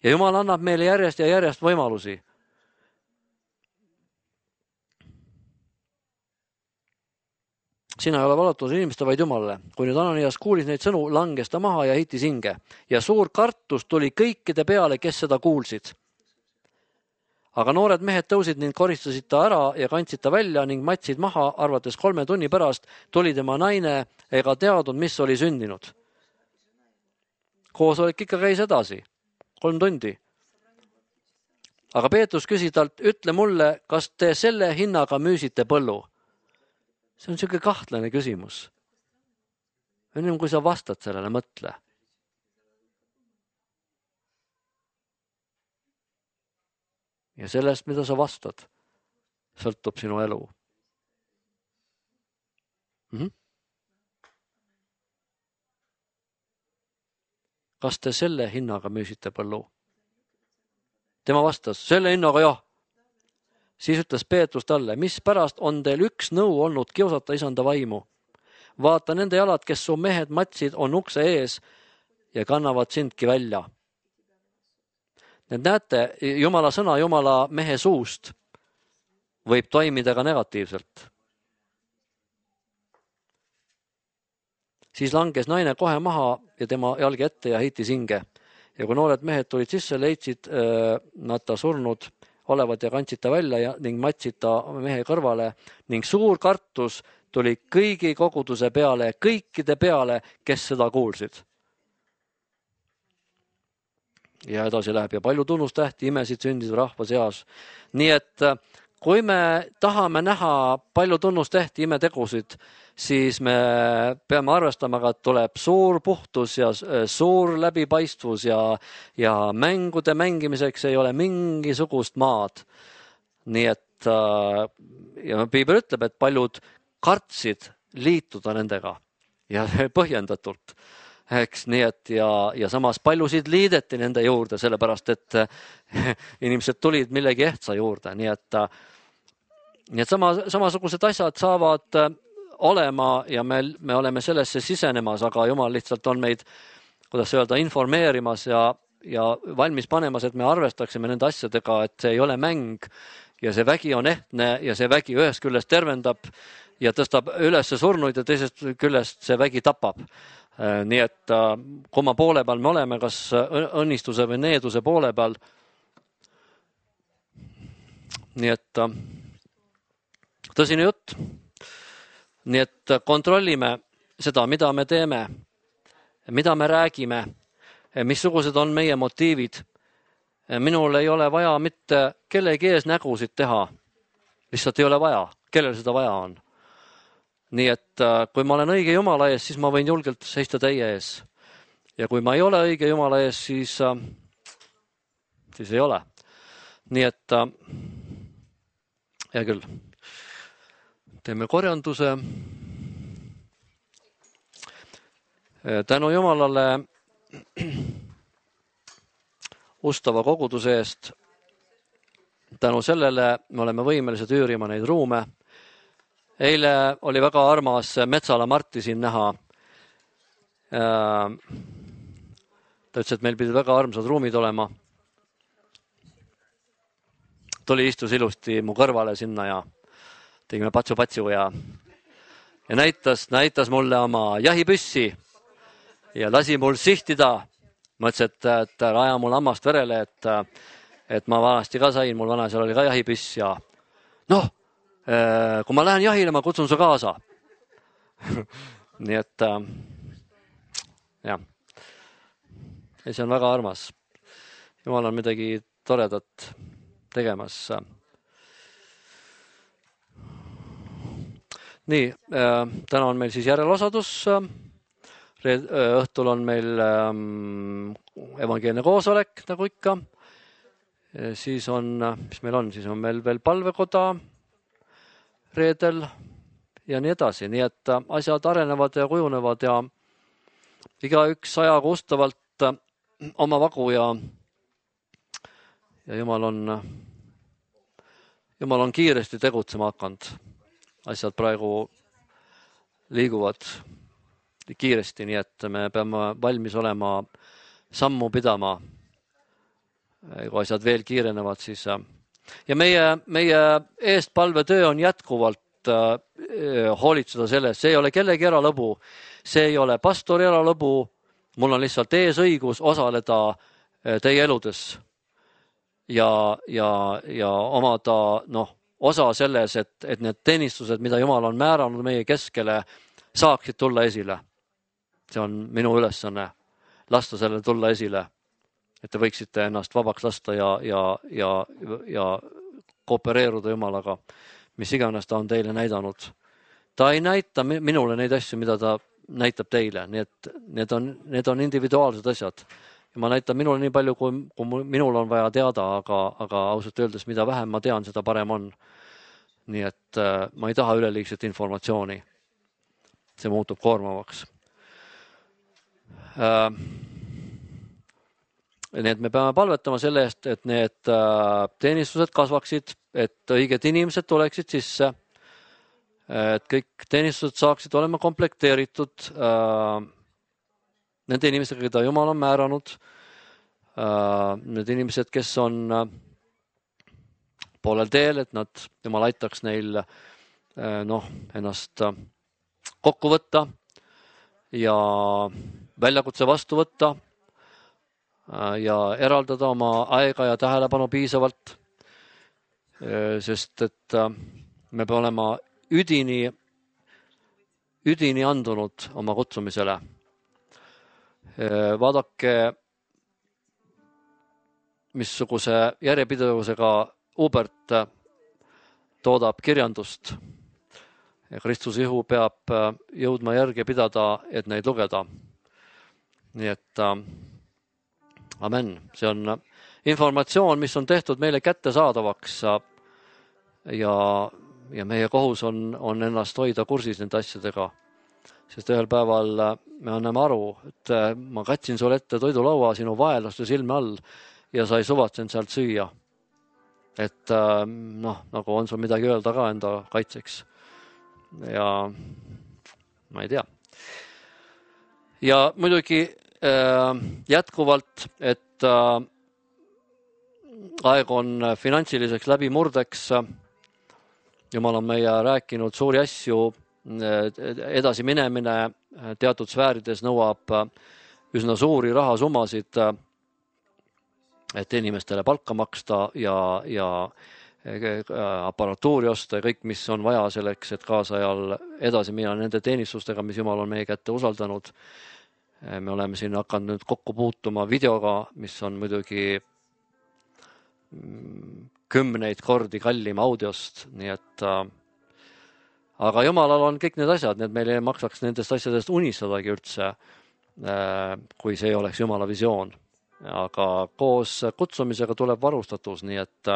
Ja Jumal annab meile järjest ja järjest võimalusi. Sina ei ole valatud inimeste, vaid Jumalale. Kui nüüd Ananias kuulis neid sõnu, langes ta maha ja heitis hinge. Ja suur kartus tuli kõikide peale, kes seda kuulsid. Aga noored mehed tõusid ning koristasid ta ära ja kandsid ta välja ning matsid maha, arvates 3 tunni pärast tuli tema naine ega teadnud, mis oli sündinud. Koosolek ikka käis edasi, 3 tundi. Aga Peetrus küsis talt, ütle mulle, kas te selle hinnaga müüsite põllu? See on selline kahtlane küsimus. Enne kui sa vastad sellele, mõtle. Ja sellest, mida sa vastad, sõltub sinu elu. Kas te selle hinnaga müüsite põllu? Tema vastas, selle hinnaga jah. Siis ütles Peetrus talle, mis pärast on teil üks nõu olnud kiusata isanda vaimu? Vaata, nende jalad, kes su mehed matsid, on ukse ees ja kannavad sindki välja. Need näete, Jumala sõna Jumala mehe suust võib toimida ka negatiivselt. Siis langes naine kohe maha ja tema jalgi ette ja heitis hinge. Ja kui noored mehed tulid sisse, leidsid nad ta surnud olevat ja kandsid ta välja ning matsid ta mehe kõrvale ning suur kartus tuli kõigi koguduse peale, kõikide peale, kes seda kuulsid. Ja edasi läheb ja palju tunnustähti, imesid sündisid rahva seas. Nii et kui me tahame näha palju tunnustähti, imetegusid, siis me peame arvestama, et tuleb suur puhtus ja suur läbipaistvus ja mängude mängimiseks ei ole mingisugust maad. Nii et ja Piibel ütleb, et paljud kartsid liituda nendega ja põhjendatult. Eks, nii et ja samas paljusid liideti nende juurde, sellepärast et inimesed tulid millegi ehtsa juurde. Nii et samasugused asjad saavad olema ja me oleme sellesse sisenemas, aga Jumal lihtsalt on meid, kuidas öelda, informeerimas ja valmis panemas, et me arvestaksime nende asjadega, et see ei ole mäng ja see vägi on ehtne ja see vägi ühest küljest tervendab ja tõstab üles surnuid ja teisest küljest see vägi tapab. Nii et kumma poole peal me oleme, kas õnnistuse või needuse poole peal. Nii et tõsine jutt. Nii et kontrollime seda, mida me teeme, mida me räägime, missugused on meie motiivid. Minul ei ole vaja mitte kellegi ees nägusid teha. Lihtsalt ei ole vaja. Kellel seda vaja on? Nii et kui ma olen õige Jumala ees, siis ma võin julgelt seista teie ees. Ja kui ma ei ole õige Jumala ees, siis ei ole. Nii et hea küll. Teeme korjanduse. Tänu Jumalale ustava koguduse eest. Tänu sellele me oleme võimelised üürima neid ruume. Eile oli väga armas Metsala Marti siin näha. Ta ütles, et meil pidid väga armsad ruumid olema. Tuli istus ilusti mu kõrvale sinna ja tegime patsu-patsu ja näitas mulle oma jahipüssi ja lasi mul sihtida. Ma ütlesin, et aja mul hammast verele, et ma vanasti ka sain, mul vanasel oli ka jahipüss ja kui ma lähen jahile, ma kutsun su kaasa. Nii et jah. Ja see on väga armas. Jumal on midagi toredat tegemas. Nii, täna on meil siis järjelosadus. Õhtul on meil evangeelne koosolek, nagu ikka. Siis on, mis meil on, siis on meil veel palvekoda reedel ja nii edasi. Nii et asjad arenevad ja kujunevad ja igaüks ajaga ustavalt oma vagu ja Jumal on kiiresti tegutsema hakanud. Asjad praegu liiguvad kiiresti, nii et me peame valmis olema sammu pidama. Kui asjad veel kiirenevad, siis ja meie eestpalvetöö on jätkuvalt hoolitseda sellest, see ei ole kellegi eralõbu, see ei ole pastori eralõbu, mul on lihtsalt eesõigus osaleda teie eludes ja omada osa selles, et need teenistused, mida Jumal on määranud meie keskele, saaksid tulla esile. See on minu ülesanne, lasta sellele tulla esile, et te võiksite ennast vabaks lasta ja koopereeruda Jumalaga, mis iganes ta on teile näidanud. Ta ei näita minule neid asju, mida ta näitab teile, nii et need on individuaalsed asjad. Ja ma näitan minule nii palju, kui minul on vaja teada, aga ausalt öeldes, mida vähem ma tean, seda parem on. Nii et ma ei taha üleliigset informatsiooni. See muutub koormavaks. Nii et me peame palvetama selle eest, et need teenistused kasvaksid, et õiged inimesed tuleksid sisse, et kõik teenistused saaksid olema komplekteeritud nende inimestega, keda Jumal on määranud, need inimesed, kes on poolel teel, et Jumal aitaks neil ennast kokku võtta ja väljakutse vastu võtta ja eraldada oma aega ja tähelepanu piisavalt, sest et me peame olema üdini andunud oma kutsumisele. Vaadake, missuguse järjepidevusega Hubert toodab kirjandust. Kristuse ihu peab jõudma järgi pidada, et neid lugeda. Nii et amen. See on informatsioon, mis on tehtud meile kättesaadavaks ja meie kohus on ennast hoida kursis nende asjadega. Sest ühel päeval me anname aru, et ma katsin sulle ette toidulaua sinu vaeluste silme all ja sa ei suvatsenud sealt süüa. Et nagu on sul midagi öelda ka enda kaitseks. Ja ma ei tea. Ja muidugi jätkuvalt, et aeg on finantsiliseks läbimurdeks. Jumal on meie rääkinud suuri asju, edasi minemine teatud sfäärides nõuab üsna suuri rahasummasid, et inimestele palka maksta ja aparatuuri osta ja kõik, mis on vaja selleks, et kaasajal edasi minna nende teenistustega, mis Jumal on meie kätte usaldanud. Me oleme siin hakanud nüüd kokku puutuma videoga, mis on muidugi 10 kordi kallim audiost, nii et aga Jumalal on kõik need asjad, need meil ei maksaks nendest asjadest unistadagi üldse, kui see ei oleks Jumala visioon. Aga koos kutsumisega tuleb varustatus, nii et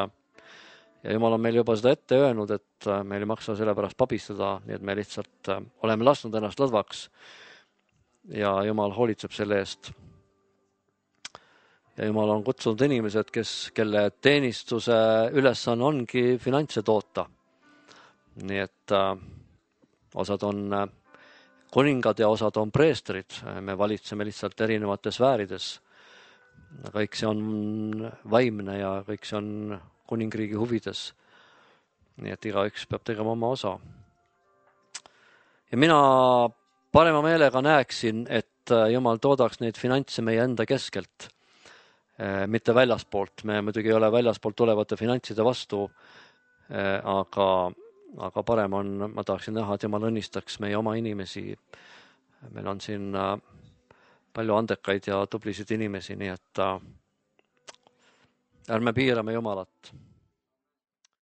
ja Jumal on meil juba seda ette öelnud, et meil ei maksa selle pärast pabistada, nii et me lihtsalt oleme lasknud ennast lõdvaks ja Jumal hoolitseb selle eest. Ja Jumal on kutsunud inimesed, kelle teenistuse ülesanne ongi finantse toota. Nii et osad on kuningad ja osad on preestrid. Me valitseme lihtsalt erinevates sfäärides. Kõik see on vaimne ja kõik see on kuningriigi huvides. Nii et igaüks peab tegema oma osa. Ja mina parema meelega näeksin, et Jumal toodaks neid finantse meie enda keskelt, mitte väljaspoolt. Me muidugi ei ole väljaspoolt tulevate finantside vastu, aga parem on, ma tahaksin näha, et Jumal õnnistaks meie oma inimesi. Meil on siin palju andekaid ja tublisid inimesi, nii et ärme piirame Jumalat.